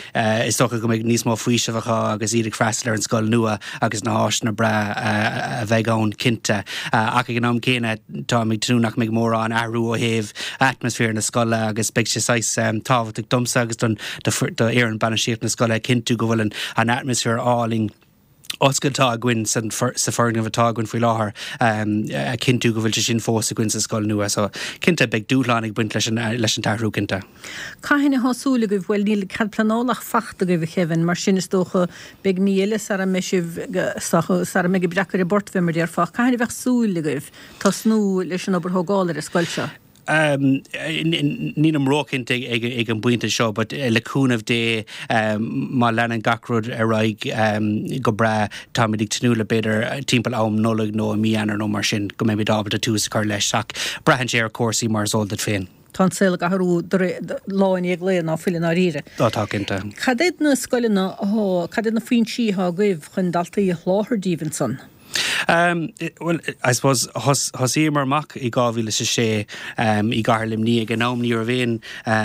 is dócha go mbeidh níos mó faoisimh acu agus iad ag freastal ar an scoil nua agus na háiseanna breá a bheidh ann cinnte. Ach ag an am céanna táim ag tnúth nach mbeidh mórán athrú ó thaobh atmaisféar na scoile agus beidh sé saghas tábhachtach domsa agus don d'fhoireann bainistíochta na scoile a chinntiú go bhfuil an atmaisféar álainn oscailte atá againn sa foirgneamh atá againn faoi láthair, a chinntiú go bhfuil sé sin fós againn sa scoil nua. So, cinnte, beidh dúshlán ag baint leis an leis an t-athrú, cinnte. Cathain atá súil agaibh? Bhuel, níl cead pleanála ach fachta agaibh, a Kevin, mar sin is dócha beidh mí eile sara mbeidh sibh, sara mbeidh an breac ar an bport, fé mar a déarfá. Cathain a bheadh súil agaibh tosnú leis an obair thógála ar an scoil seo? Nílim róchinnte ag an bpointe seo but le cúnamh Dé má leanann gach rud ar aghaidh go breá táimid ag tnúth le b'fhéidir timpeall am Nollag nó i mí Eanáir nó mar sin go mbeimid ábalta tús a chur leis ach braitheann sé ar chúrsaí mar is eol duit féin. Tá an saol ag athrú lá i ndiaidh lae ná fuil i ndáiríre. Á tá cinnte. Cad iad na scoileanna atá, cad iad na foinsí atá agaibh chun daltaí a sholáthar díbh ansan? Bhuel, I suppose, thosaíomar amach i dhá mhíle is a sé i gcathair Luimnigh. Ag an am ní raibh aon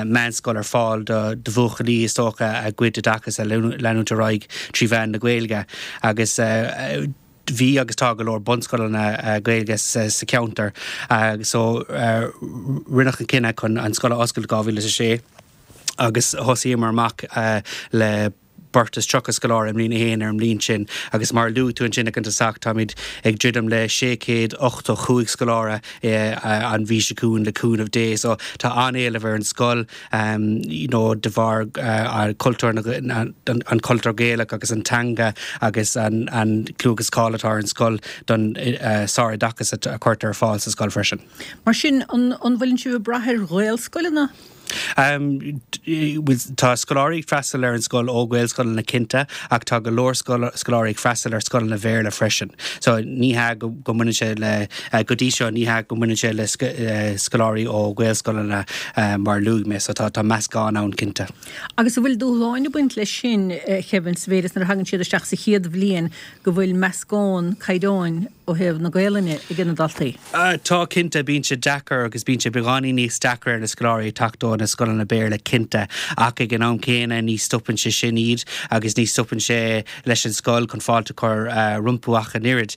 meánscoil ar fáil do bhuachaillí is dócha a gcuid oideachas a leanúint ar aghaidh trí mheán na Gaeilge agus bhí agus tá go leor bunscoileanna Gaeilge sa cheantar. So rinneadh an cinneadh chun an scoil a oscailt i dhá mhíle is a sé agus thosaíomar amach le beirt is tríocha scoláire i mbliain a haon ar an mbliain sin agus mar a luaigh tú ansin ag an tosach, táimid ag druidim le sé chéad ochtó chúig scoláire an mhí seo chugainn le cúnamh Dé. So tá an-éileamh ar an scoil you know de bharr cultúr na, an cultúr Gaelach agus an teanga agus an clú agus cáil atá ar an scoil don sároideachas a chuirtear ar fáil sa scoil freisin. Mar sin, an bhfuileann sibh ag brath ar Ghaelscoileanna? Tá scoláirí ag freastal ar an scoil ó Ghaelscoileanna cinnte ach tá go leor scoláirí ag freastal ar scoileanna Bhéarla freisin. So ní hea go mbaineann sé le, go dtí seo, ní hea go mbaineann sé le scoláirí ó Ghaelscoileanna mar a luaigh mé. So tá meascán ann cinnte. Agus an bhfuil dúshláin ag baint leis sin, a Kevin, sa mhéid is nuair a thagann siad isteach sa chéad bhliain go bhfuil meascán caighdeáin ó thaobh na Gaelainne ag na daltaí? Tá cinnte, bíonn sé deacair agus bíonn sé beagáinín níos deacra ar na scoláirí teacht ó na scoileanna Béarla cinnte, ach ag an am céanna ní stopann sé sin iad agus ní stopann sé leis an scoil chun fáilte a chur rompu ach an oiread.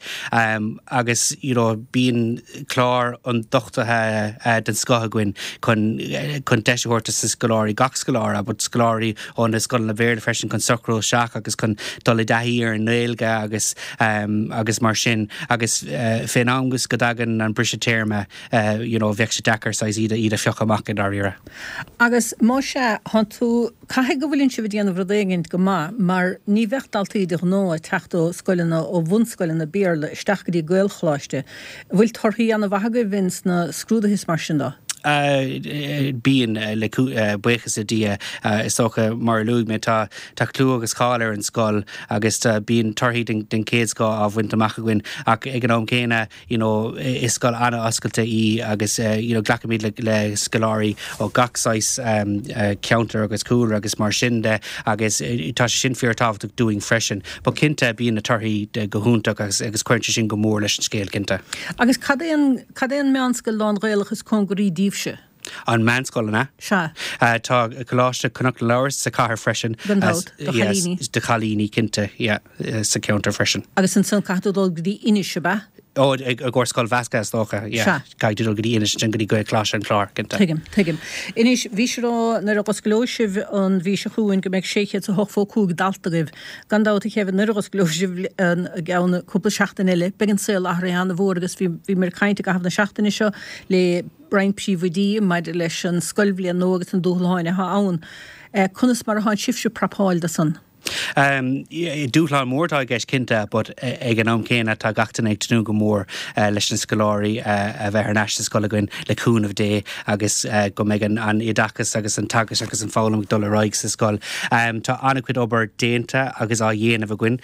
Agus you know bíonn clár ionduchtaithe den scoth againn chun chun deis a thabhairt do na scoláirí, gach scoláire, but scoláirí ó na scoileanna Béarla freisin chun socrú isteach agus chun dul i dtaithí ar an nGaeilge agus agus mar sin agus fén am go dtagann an briseadh téarma you know bheadh sé deacair saghas iad iad a phiocadh amach i ndáiríre. Agus más ea, thánn tú, caithfidh go bhfuileann sibh ag déanamh rud éigint go maith mar ní bheadh daltaí de ghnáth ag teacht ó scoileanna, ó bhunscoileanna Béarla isteach go dtí Gaelcholáiste. An bhfuil torthaí an-mhaith agaibh ins na scrúduithe is mar sin de? Bíonn, le buíochas le Dia. Is dócha, mar a luaigh mé, tá tá clú agus cáil ar an scoil agus bíonn torthaí den chéad scoth á bhaint amach againn ach ag an am céanna, you know, is scoil an-oscailte í agus, you know, glacaimid le le scoláirí ó gach saghas ceantar agus cúlra agus mar sin de agus tá sé sin fíorthábhachtach dúinn freisin. But cinnte, bíonn na torthaí go hiontach agus agus cuireann sé sin go mór leis an scéal, cinnte. Agus cad é an Cad é an meánscoil lán-Ghaelach is cóngaraí daoibhse? An meánscoil, an ea? Sea. Tá Coláiste Chnoc na Labhras sa chathair freisin. Gan dabht, do chailíní. Do chailíní, cinnte, yeah, sa cheantar freisin. Agus ansan caithfidh tú dul go dtí Inis, ab ea? Ó, i gcomhair scoil mheasctha is dócha, yeah. Sea. Caithfidh tú dul go dtí Inis ansin go dtí Gaelcholáiste an Chláir, cinnte. Tuigim, tuigim. Anois, bhís ag rá nuair a dh'osclóidh sibh an mhí seo chugainn go mbeidh sé chéad is a hochtó cúig dalta agaibh. Gan dabht, a Kevin, nuair a dh'osclóidh sibh i gceann cúpla seachtain eile, beidh an saol athraithe an-mhór agus bhí, bhíomar ag caint i gcaitheamh na seachtaine seo le roinnt príomhoidí maidir leis an scoilbhliain nua agus na dúshláin atá ann. Conas mar atánn sibhse ag prapáil do san? Dúshlán mór atá i gceist cinnte but ag an am céanna tá gach duine ag tnúth go mór leis na scoláirí a bheith thar n-ais sa scoil againn le cúnamh Dé agus go mbeidh an oideachas agus an teagasc agus an foghlaim ag dul ar aghaidh sa scoil. Tá an-chuid obair déanta agus á dhéanamh againn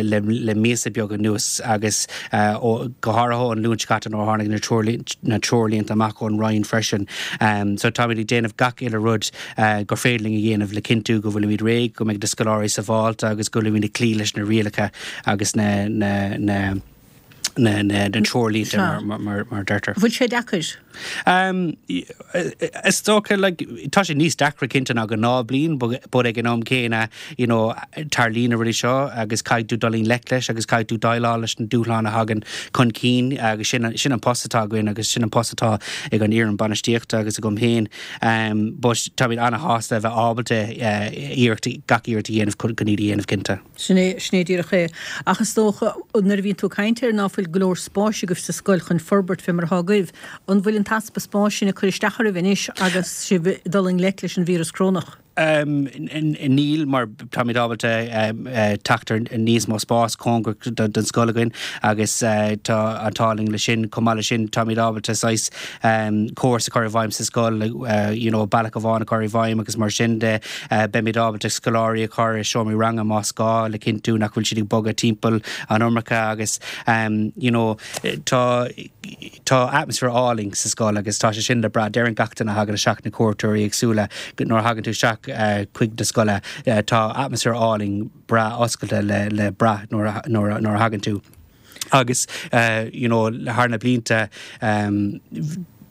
le míosa beag anuas agus go háirithe ón Luan seo caite nuair a tháinig na treoirlínte amach ón Roinn freisin. So táimid ag déanamh gach uile rud gur féidir linn a dhéanamh le cinntiú go bhfuilimid réidh, go mbeidh na scoláirí sábháilte agus go bhfuilimid ag cloí leis na rialacha agus na na na na na na treoirlínte mar mar mar deirtear. Bhfuil sé deacair? Is dócha like tá sé níos deacra cinnte ná gnáthbhliain but ag an am céanna you know tarlaíonn na rudaí seo agus caithfidh tú dul i ngleic leis agus caithfidh tú déileáil leis na dúshláin a thagann chun cinn agus sin sin an post atá againn agus sin an post atá ag an fhoireann bainistíochta agus agam féin. But táimid an-shásta a bheith ábalta iarracht, gach iarracht a dhéanamh chun iad a dhéanamh cinnte. Sin é, sin é díreach é. Ach is dócha, nuair a bhíonn tú ag caint air ná fuil go leor spáis agaibh sa scoil chun forbairt fé mar atá agaibh, an bhfuil an t-easpa spáis sin ag cur isteach oraibh anois agus sibh ag dul i ngleic leis an víreas corónach? Níl, mar táimid ábalta teacht ar níos mó spáis cóngarach don scoil againn agus tá an t-ádh linn leis sin. Chomh maith leis sin, táimid ábalta saghas córas a chur i bhfeidhm sa scoil, you know bealach amháin a chur i bhfeidhm agus mar sin de. Beimid ábalta scoláirí a chur i seomraí ranga más gá le cinntiú nach bhfuil siad ag bogadh timpeall an iomarca agus you know tá tá atmaisféar álainn sa scoil agus tá sé sin le brath. Deireann gach duine a thagann isteach, na cuairteoirí éagsúla, nuair a thagann tú isteach chuig na scoile, tá atmaisféar álainn breá oscailte le le brath nuair a nuair a nuair a thagann tú. Agus you know thar na blianta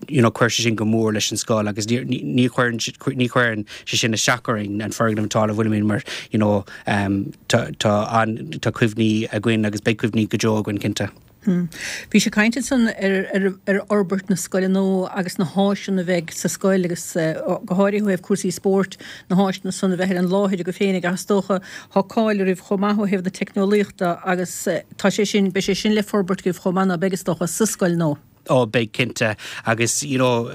you know chuir sé sin go mór leis an scoil agus ní ní chuireann ní chuireann sé sin isteach orainn an foirgneamh atá ina bhfuilimid mar you know tá tá an tá cuimhní againn agus beidh cuimhní go deo againn cinnte. Bhís ag caint ansan ar ar fhorbairt na scoile nua agus na háiseanna a bheidh sa scoil agus go háirithe ó thaobh cúrsaí spóirt, na háiseanna san a bheith ar an láthair agaibh féinig ach is dócha tá cáil oraibh chomh maith ó thaobh na teicneolaíochta agus tá sé sin, beidh sé sin le forbairt agaibh chomh maith ná beidh is dócha sa scoil nua? Ó beidh cinnte agus you know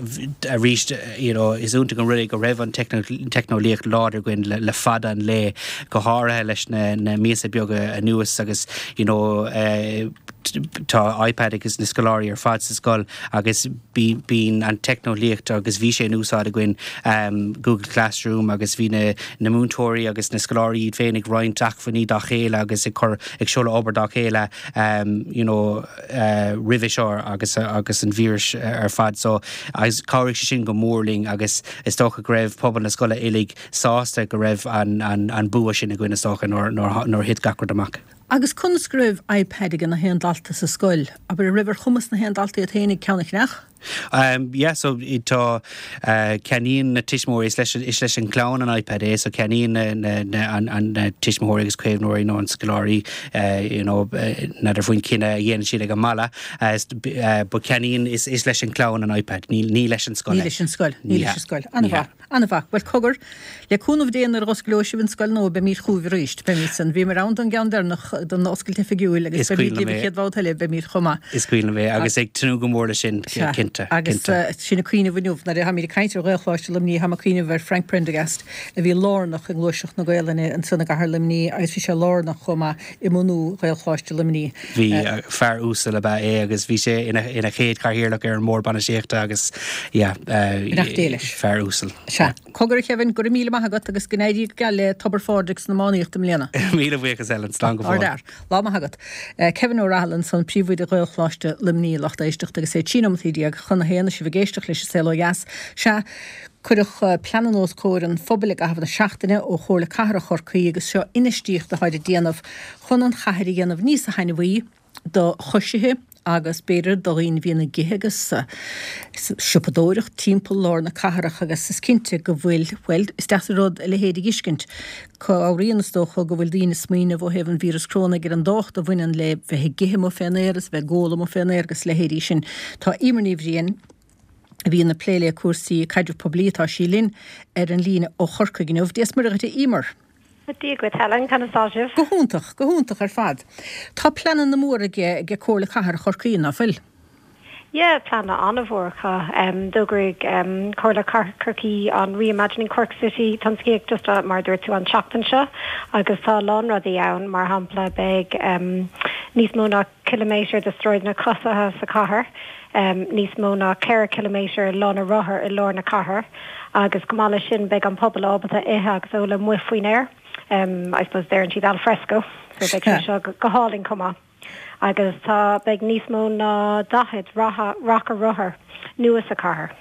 arís you know is iontach an rud é go raibh an teicneolaíocht láidir againn le le fada an lae go háirithe leis na na míosa beaga anuas agus you know tá iPad ag na scoláirí ar fad sa scoil agus bíonn an teicneolaíocht agus bhí sé in úsáid againn Google Classroom agus bhí na na múinteoirí agus na scoláirí iad féin ag roinnt acmhainní dá chéile agus ag cur ag seoladh obair dá chéile you know roimhe seo agus agus an víreas ar fad so agus chabhraigh sé sin go mór linn agus is dócha go raibh pobal na scoile uilig sásta go raibh an an an bua sin againn is dócha nuair nuair nuair a thit gach rud amach. Agus conas go raibh iPad ag na haon dalta sa scoil? Abair, an raibh ar chumas na haon dalta iad féinig ceann a cheannach? Um, yeah, so tá uh, ceannaíonn na tuismitheoirí is leis, is leis an gclann an iPad é, so ceannaíonn na, na, na, an, an, na tuismitheoirí agus caomhnóirí nó an scoláirí uh, you know, uh, n'fheadar faoin cinneadh a dhéanann siad ag an mbaile, uh, uh, but ceannaíonn is, is leis an gclann an iPad, ní, ní leis an scoil. Ní leis an scoil, ní leis an scoil. An-mhaith, an-mhaith. Well cogar, le cúnamh Dé nuair a osclóidh sibh an scoil nua beimid chugaibh arís. Beimid san bhíomar ann don gceann deireanach don oscailt oifigiúil agus beimid libh an chéad bhabhta eile beimid chomh maith. Is cuimhin liom é agus ag tnúth go mór leis sin cinnte. Agus sin ag cuimhneamh inniu nuair a tháimid ag caint ar Ghaelcholáiste Luimnigh táim ag cuimhneamh ar Frank Prendergast a bhí lárnach i ngluaiseacht na Gaelainne ansan i gcathair Luimnigh agus bhí sé lárnach chomh maith i mbunú Ghaelcholáiste Luimnigh. Bhí fear uasal ab ea é agus bhí sé ina ina chéad chathaoirleach ar an mbord bainistíochta agus yeah, fear uasal. Sea. Cogar a Kevin, go raibh míle maith agat agus go n-éirí go geal le Tobar Phádraig san iománaíocht i mbliana. Míle buíochas Ellen, slán go fóill. Ardfhear. Lá maith agat. Kevin Ó Rathaille ansan, príomhoide Ghaelcholáiste Luimnigh, lucht éisteachta agus é trí nóimeataí déag chun a haon, sibh ag éisteacht leis an Saol Ó Dheas. Sea, cuireadh pleananna os comhair an phobail i gcaitheamh na seachtaine ó Chomhairle Cathrach Chorcaí agus seo infheistíocht atáid ag déanamh chun an chathair a dhéanamh níosa thaitneamhaí do choisithe agus b'fhéidir do dhaoine a bhíonn ag ithe agus siopadóireacht timpeall lár na cathrach agus is cinnte go bhfuil, bhuel, is deas an rud a leithéid a dh'fheiscint. Cabhraíonn is dócha go bhfuil daoine ag smaoineamh ó thaobh an víreas crónaigh ar an dtábhacht a bhaineann le bheith ag ithe amuigh fén aer is bheith ag ól amuigh fén aer agus leithéidí sin. Tá Emer Ní Bhriain, a bhíonn ag plé le cúrsaí caidrimh poiblí, atá sí linn ar an líne ó Chorcaigh inniu. Dia is Muire dhuit a Emer. Dia dhuit Helen, conas tá sibh? Go hiontach, go hiontach ar fad. Tá pleananna móra aige ag Comhairle Cathrach Chorcaí, ná fuil? Yeah, pleananna an-mhór acu. D'fhógraigh Comhairle Cathrach Chorcaí an Reimagining Cork City tionsclaíocht just mar a dúirt tú an tseachtain seo agus tá a lán rudaí ann, mar shampla beidh níos mó ná ciliméadar de sráideanna coisithe sa chathair, níos mó ná ceithre chiliméadar lána rothar i lár na cathrach agus chomh maith leis sin beidh an pobal ábalta ithe agus ól amuigh faoin aer, I suppose deireann siad al fresco, so beidh sé seo go hálainn chomh maith. Agus tá, beidh níos mó ná daichead raca rothar nua sa chathair.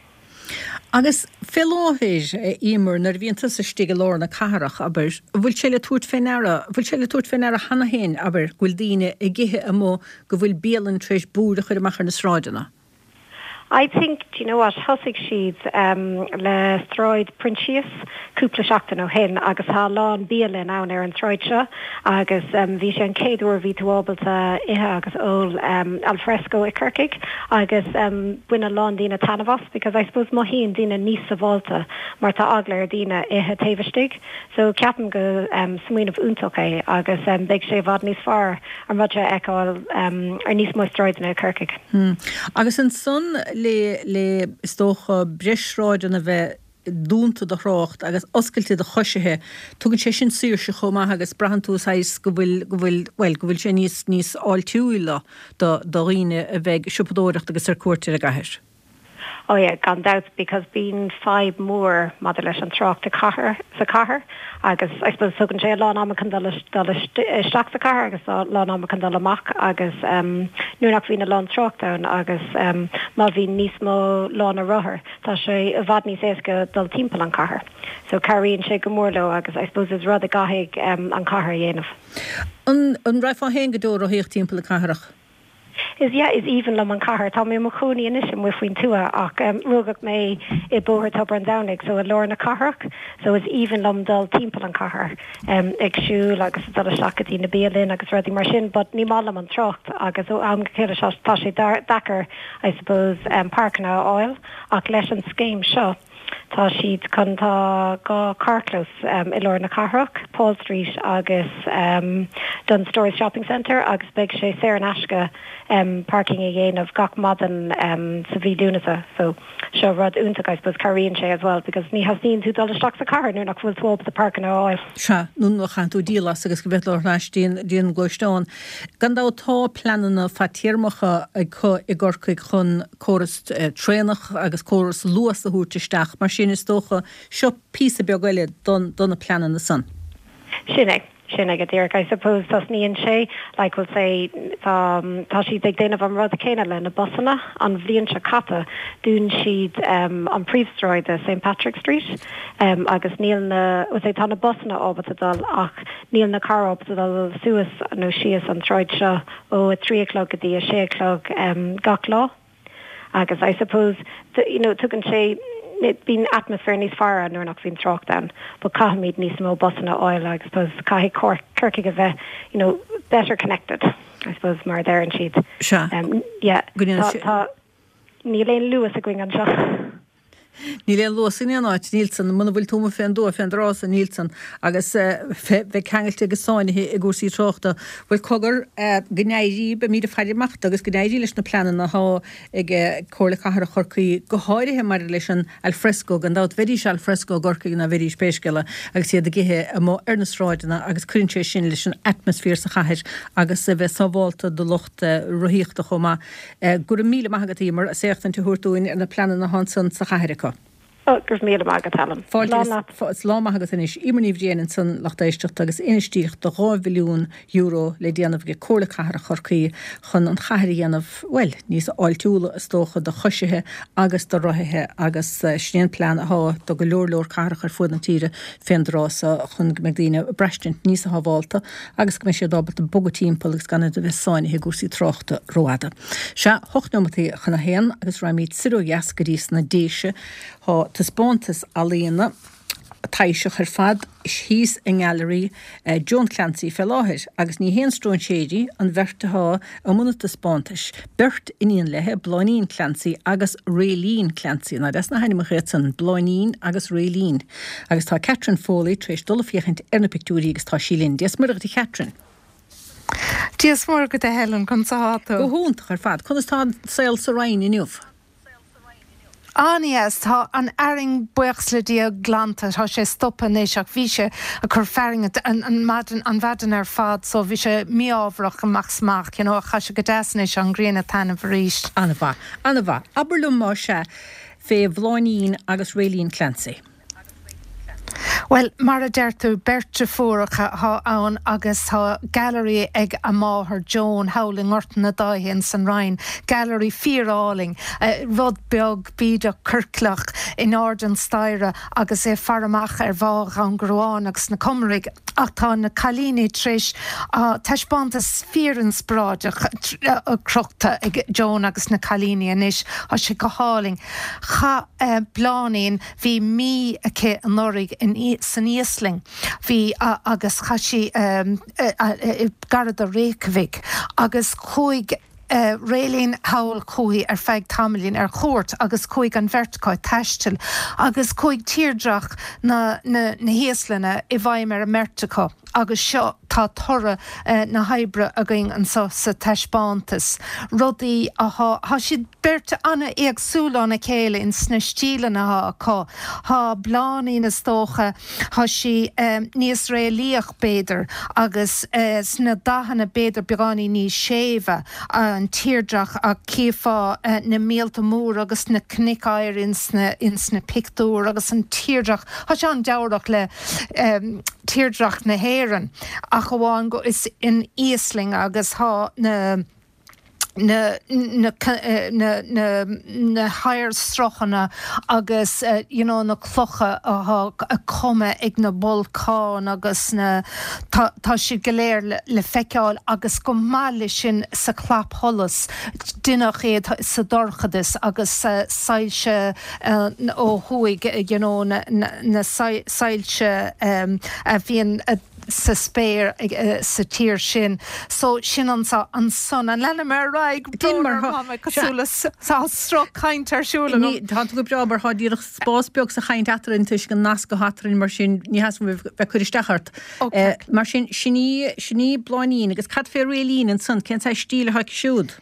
Agus fé láthair, a Emer, nuair a bhíonn tusa istigh i lár na cathrach, abair, an bhfuil sé le tabhairt fé ndeara, an bhfuil sé le tabhairt fé ndeara cheana féin, abair, go bhfuil daoine ag ithe amuigh, go bhfuil bialanna tar éis búir a chur amach ar na sráideanna? I think, do you know what, thosaigh siad le Sráid Proinsias cúpla seachtain ó shin agus tá a lán bialann ann ar an tsráid seo agus bhí sé an chéad uair a bhí tú ábalta ithe agus ól al fresco i Corcaigh agus bhain a lán daoine taitneamh as because I suppose mothaíonn daoine níos sábháilte mar tá eagla ar daoine ithe taobh istigh so ceapaim go smaoineamh iontach é agus beidh sé i bhfad níos fearr an rud seo a fheiceáil ar níos mó sráideanna i Corcaigh. Agus ansan le le is dócha breis sráideanna bheith dúnta do thrácht agus oscailte do choisithe, tugann sé sin saoirse chomh maith agus braitheann tú saghas go bhfuil, go bhfuil, bhuel, go bhfuil sé níos, níos fáiltiúla do, do dhaoine a bheidh ag siopadóireacht agus ar cuairt ar an gcathair. Oh yeah, gan dabht, because bíonn fadhb mór maidir leis an trácht i cathair, sa chathair agus I suppose tugann sé a lán ama chun dul dul isteach sa chathair agus a lán ama chun dul amach agus um, nuair nach bhíonn a lán trácht ann agus um, má bhíonn níos mó lána rothar, tá sé i bhfad níos éasca dul timpeall an chathair. So cabhraíonn sé go mór leo agus I suppose is rud a gcaithfidh um, an chathair a dhéanamh. An, an raghfá féin go deo rothaíocht timpeall na cathrach? Is yeah, is aoibhinn liom an chathair. Tá mé i mo chónaí anois amuigh faoin tuath ach rugadh mé i Bóthar Tobar an Domhnaigh, so i lár na cathrach, so is aoibhinn liom dul timpeall an chathair ag siúl agus ag dul isteach go dtí na bialanna agus rudaí mar sin but ní maith liom an trácht agus ó am go chéile tá sé deacair I suppose páirceanna a fháil ach leis an scéim seo Tá siad chun, tá dhá carrchlós i lár na cathrach, Paul Street agus Dunnes Stores Shopping Centre agus beidh sé saor in aisce parking a dhéanamh gach maidin sa mhí Lúnasa. So seo rud iontach I suppose, cabhraíonn sé as well because ní theastaíonn tú dul isteach sa chathair nuair nach bhfuil tú ábalta páirceanna a fháil. Sea, nó nuair a chaitheann tú díol as agus go bhféadfá dul thar n-ais dtí an gluaisteán. Gan dabht tá pleananna fadtéarmacha acu i gCorcaigh chun córas traenach agus córas Luas a thabhairt isteach, mar sin is dócha, seo píosa beag eile do na pleananna san. Sin é, Sin é go díreach. I suppose tosnaíonn sé like we'll say tá tá siad ag déanamh an rud céanna le na busanna an bhliain seo caite dún siad um, an príomhshráid St Patrick Street um, agus níl na we'll say tá na busanna ábalta dul ach níl na cairr ábalta dul suas nó síos an tsráid seo ó a trí a chlog go dtí a sé a chlog um, gach lá. Agus I suppose the, you know tugann sé bíonn atmaisféar níos fearr nuair nach bhíonn trácht ann, but caithfimid níos mó busanna a fháil I suppose caithfidh Corcaigh a bheith you know better connected I suppose mar a deireann siad. Sea. Um, yeah, Go tá, tá, níl aon luas againn anseo. Níl aon luas in aon áit níl san muna bhfuil tú fén dtuath fén dtráth san níl san agus bheith ceangailte agus sáinnithe i gcúrsaí tráchta. Bhuel cogar go n-éirí beimid ag faire amach agus go n-éirí leis na pleananna atá ag Comhairle Cathrach Chorcaí go háirithe maidir leis an alfresco gan dabht bheidís alfresco i gCorcaigh ná bheidís pé scéal é agus iad ag ithe amuigh ar na sráideanna agus cuireann sé sin leis an atmaisféar sa chathair agus a bheith sábháilte do lucht rothaíochta chomh maith. Go raibh míle maith agat Emer as éachtaint a thabhairt dúinn ar na pleananna atá ansan sa chathair acu. Oh, go raibh míle maith agat Helen. Fáilte lá maith agat anois Emer Ní Bhriain ansan lucht éisteachta agus infheistíocht de dhá mhilliún euro le déanamh ag Comhairle Cathrach Chorcaí chun an chathair a dhéanamh, bhuel, níos fáiltiúla is dócha do choisithe agus do rothaithe agus sin é an plean atá do go leor leor cathrach ar fud na tíre fén dtráth so chun go mbeidh daoine ag braistint níos sábháilte agus go mbeidh siad ábalta bogadh timpeall agus gan iad a bheith sáinnithe i gcúrsaí tráchta rófhada. Sea, hocht nóimeataí chun a haon agus raghaimid soir ó dheas go dtí sna Déise. Tá taispeántas ealaíona taibhseach ar fad thíos i nGailearaí Joan Clancy fé láthair agus ní haon stróinséirí an bheirt atá i mbun an taispeántais, beirt iníon léi, Bláithnín Clancy agus Rayleen Clancy. Nach deas na hainmneacha iad san, Bláithnín agus Rayleen. Agus tá Catherine Foley tar éis dul ag féachaint ar na pictiúirí agus tá sí linn. Dia is Muire dhuit a Chatherine. Dia is Muire dhuit a Helen, conas atá tú? Go hiontach ar fad. Conas tá an saol sa Rinn inniu? An-deas, tá an fhearthainn buíochas le Dia glanta, tá sé stoptha anois ach bhí sé ag cur fearthainne an maidin, an mhaidin ar fad so bhí sé mí-ámharach amach 's amach, you know, ach tá sé go deas anois, an ghrian ag taitneamh arís. An-mhaith, an-mhaith. Abair liom más ea fé Bhláithnín agus Rayleen Clancy. Bhuel, mar a deir tú, beirt deirfiúracha atá ann agus tá gailearaí ag a máthair Joan thall i nGort na Dáithe ins an Rinn, gailearaí fíor-álainn, rud beag bídeach ciorclach in airde an staighre agus é ag faire amach ar Bhá Dhún Garbhán agus na Comaraigh. Ach tá na cailíní tar éis taispeántas fíor-inspioráideach crochta ag Joan agus na cailíní anois. Tá sé go hálainn. Chaith Bláithnín, bhí mí aici anuraidh in san Íoslainn, bhí agus chaith sí gar do Reykjavik agus chuaigh Rayleen thall chuici ar feadh tamaillín ar chuairt agus chuaigh an bheirt acu ag taisteal agus chuaigh tírdreach na na hÍoslainne i bhfeidhm ar an mbeirt acu agus seo tá toradh na hoibre againn anseo sa taispeántas. Rudaí atá, tá siad beirt an-éagsúil óna chéile in sna stíleanna atá acu. Tá Bláithnín is dócha, tá sí níos réalaíoch b'fhéidir agus sna dathanna b'fhéidir beagáinín níos séimhe, an tírdreach ach chífeá na míolta móra agus na cnoic oighir ins na ins na pictiúir agus an tírdreach, tá sé an-dealraitheach le tírdreach na hÉireann ach amháin go is in Íoslainn agus tá na na na na na na hoighearshruthanna agus you know na clocha atá cumtha ag na bolcáin agus na tá tá siad go léir le le feiceáil agus go maith leis sin sa chlapsholas deineadh iad sa dorchadas agus soilse ó thuaidh you know na na na soilse a bhíonn sa spéir sa tír sin. So sin ansa ansan. An leanfaidh mé ar aghaidh? Déan mar Brón orm, tá mé cosúil le tá sruth cainte ar siúl Ní, agam. tá tú go breá mar tá díreach spás beag sa chaint eadrainn toisc an nasc atá eadrainn mar sin ní theastaíonn uaim bheith ag cur isteach ort. Ok. Mar sin, sin í, sin í Bláithnín agus cad fé Rayleen ansan, cén saghas stíl atá aici siúd?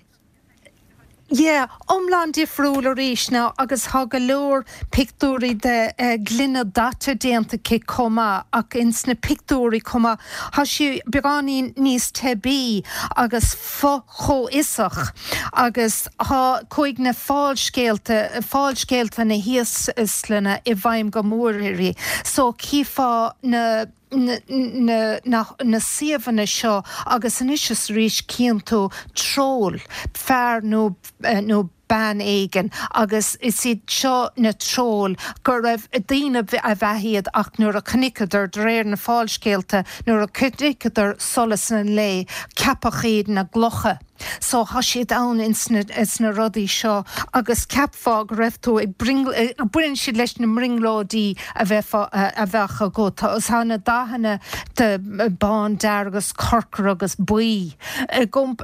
Yeah, iomlán difriúil arís now agus thá go leor pictiúirí de gloine daite déanta aici chomh maith ach ins na pictiúirí chomh maith thá sí beagáinín níos teibí agus fo-chomhfhiosach agus thá chuaigh na fáilscéalta, fáilscéalta na hÍoslainne i bhfeidhm go mór uirthi so chífeá na. na, na, na suíomhanna seo agus anois is arís cíonn tú troll, fear nó, nó bean éigin agus is iad seo na troill go raibh daoine ab ea iad ach nuair a chonaiceadar, de réir na fáilscéalta, nuair a chonaiceadar solas an lae, ceapadh iad ina gclocha. So tá siad ann ins na, ins na rudaí seo agus cheapfá go raibh tú ag brionglóid, baineann siad leis na mbrionglóidí a bheifeá, a bheadh agat. Tá na dathanna de bán, dearg agus corcra agus buí,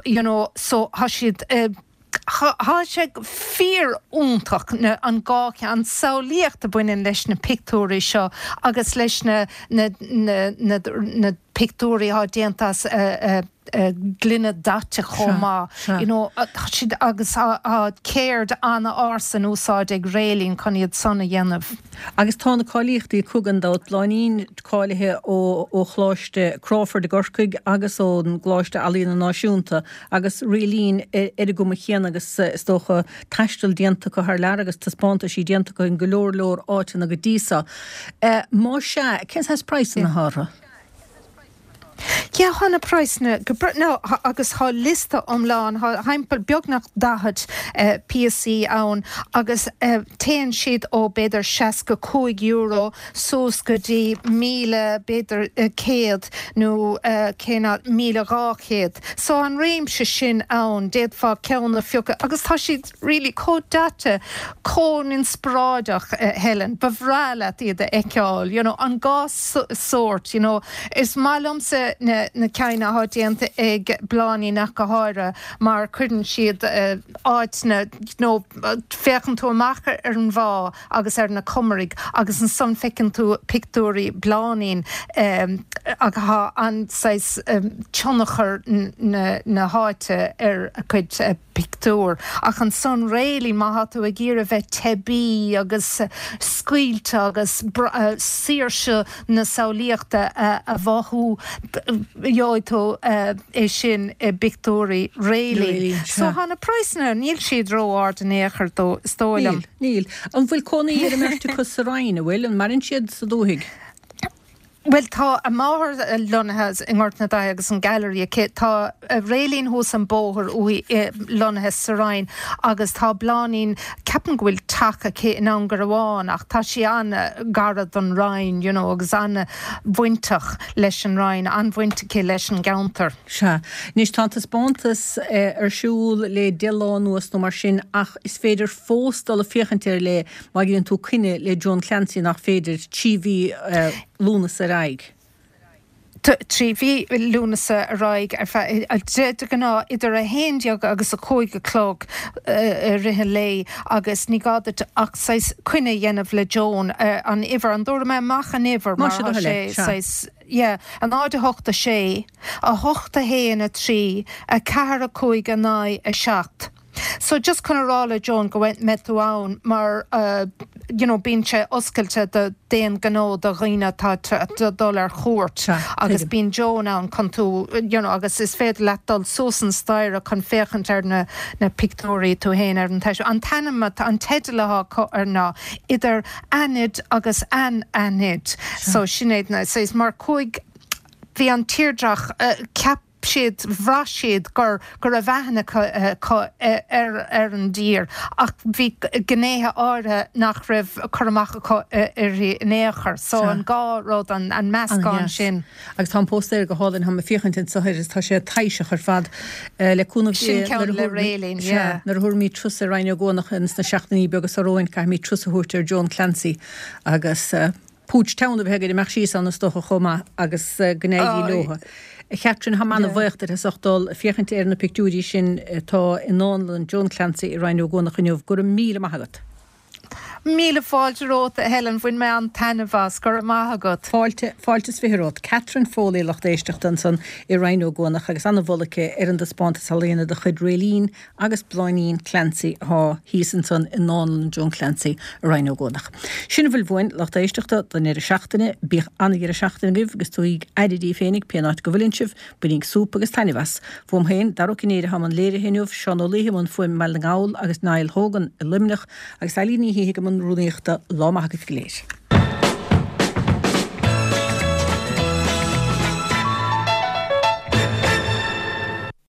you know, so tá siad, Tá sé fíor-iontach na an dhá cheann, an samhlaíocht a bhaineann leis na pictiúirí seo agus leis na na na na pictiúirí atá déanta as gloine daite chomh maith. You know, tá siad agus tá ceird an-ársa in úsáid ag Réilín chun iad san a dhéanamh. Agus tá na cáilíochtaí acu gan dabht, Bláithnín cáilithe ó ó Choláiste Crawford i gCorcaigh agus ón gColáiste Ealaíona Náisiúnta agus Réilín ar an gcuma chéanna agus is dócha taisteal déanta acu thar lear agus taispeántaisí déanta acu in go leor leor áiteanna go dtí seo. Más ea, cén saghas praghsanna atá orthu? Yeah, tá na praghsanna go breá, no, agus tá liosta iomlán, tá thimpeall beagnach daichead píosaí ann agus téann siad ó b'fhéidir seasca cúig euro suas go dtí míle b'fhéidir céad nó cé nach míle dhá chéad. So an réimse sin ann, d'fhéadfá ceann a phiocadh agus tá siad really chomh daite, chomh inspioráideach, Helen, ba bhreá leat iad a fheiceáil, you know, an dhá sórt, you know. Is maith liomsa na na cinn atá déanta ag Bláithnín ach go háirithe mar cuireann siad áit na, you know, féachann tú amach ar an bhá agus ar na Comaraigh agus ansan feiceann tú pictiúirí Bláithnín agus tá an saghas tionchar na na háite ar a cuid pictiúr. Ach ansan Réilín má thá tú ag iarraidh bheith teibí agus scaoilte agus saoirse na samhlaíochta a mhothú, gheobhaidh tú é sin i bpictiúirí Réilín. So thá na praghsanna, níl siad ró-ard in aon chor dó, is dóigh liom. Níl, níl. An bhfuil cónaí ar an mbeirt acu sa Rinn, an bhfuil? An maireann siad sa dúthaigh? Bhuel, tá a máthair lonnaithe i nGort na Daithe agus an Gallery aici. Tá Réilín thuas an bóthar uaithi lonnaithe sa Rinn agus tá Bláithnín, ceapaim go bhfuil teach aici in Indreabhán ach tá sí an-ghar don Rinn, you know, agus an-bhainteach leis an Rinn, an-bhaint aici leis an gceantar. Sea. Anois tá an taispeántas ar siúl le deich lá anuas nó mar sin ach is féidir fós dul ag féachaint air le má dhéanann tú coinne le Joan Clancy nach féidir trí mhí Lúnasa ar aghaidh. Trí mhí Lúnasa ar aghaidh ar feadh, de ghnáth idir a haon déag agus a cúig a chlog i rith an lae agus ní gá duit ach saghas coinne a dhéanamh le Joan, an uimhir, an dtabharfaidh mé amach an uimhir mar tá sé saghas, yeah, a náid a hocht a sé, a hocht a haon a trí, a ceathair a cúig a naoi a seacht. So just chun a rá le Joan go mbeidh tú ann mar you know bíonn sé oscailte do d'aon ghnó do dhaoine atá ag dul ar chuairt agus bíonn Joan ann chun tú you know agus is féidir leat dul suas an staighre chun féachaint ar na na pictiúirí tú féin ar an An t-ainm an teideal atá acu air ná idir aithnid agus anaithnid. So sin é na so is mar cúig bhí an tírdreach ceap siad, bhraith siad gur, go raibh aithne acu ar, ar an dtír ach bhí gnéithe áirithe nach raibh cur amach acu uirthi in aon chor. So an dhá rud, an, an meascán sin. Agus tá an póstaer go hálainn, táim ag féachaint anseo air is tá sé taibhseach ar fad. Le cúnamh Dé, Sin ceann le Réilín, yeah. Nuair a thabharfaimid turas ar Rinn Ó gCuanach ins na seachtainí beaga seo romhainn, caithfimid turas a thabhairt ar Joan Clancy agus. Púits teann a bheith againn amach síos ann is dócha chomh maith agus go n-éirí leo. A Chatherine, táim ana-bhuíoch duit as ucht dul ag féachaint ar na pictiúirí sin atá i nDánlann Joan Clancy i Rinn Ó gCuanach inniu. Go raibh míle maith agat. Míle fáilte romhat, a Helen. Bhain mé an-taitneamh as. Go raibh maith agat. Fáilte, fáilte is fiche romhat. Catherine Foley, lucht éisteachta ansan i Rinn Ó gCuanach agus ana-mholadh aici ar an dtaispeántas ealaíona de chuid Réilín agus Bláithnín Clancy atá thíos ansan i nDánlann Joan Clancy i Rinn Ó gCuanach. Sin a bhfuil uainn, lucht éisteachta, don deireadh seachtaine. Bíodh ana-dheireadh seachtaine agaibh agus tugaigí aire daoibh féinig pén áit go bhfuileann sibh. Bainíg súp agus taitneamh as. Fúm féin, Dara Ó Cinnéide atá i mbun léirithe inniu, Seán Ó Laoithe i mbun fuaime i mBaile na nGall agus Niall Hogan i Luimneach agus Eilín Ní Shíthigh i mbun rúnaíochta. Lá maith agaibh go léir.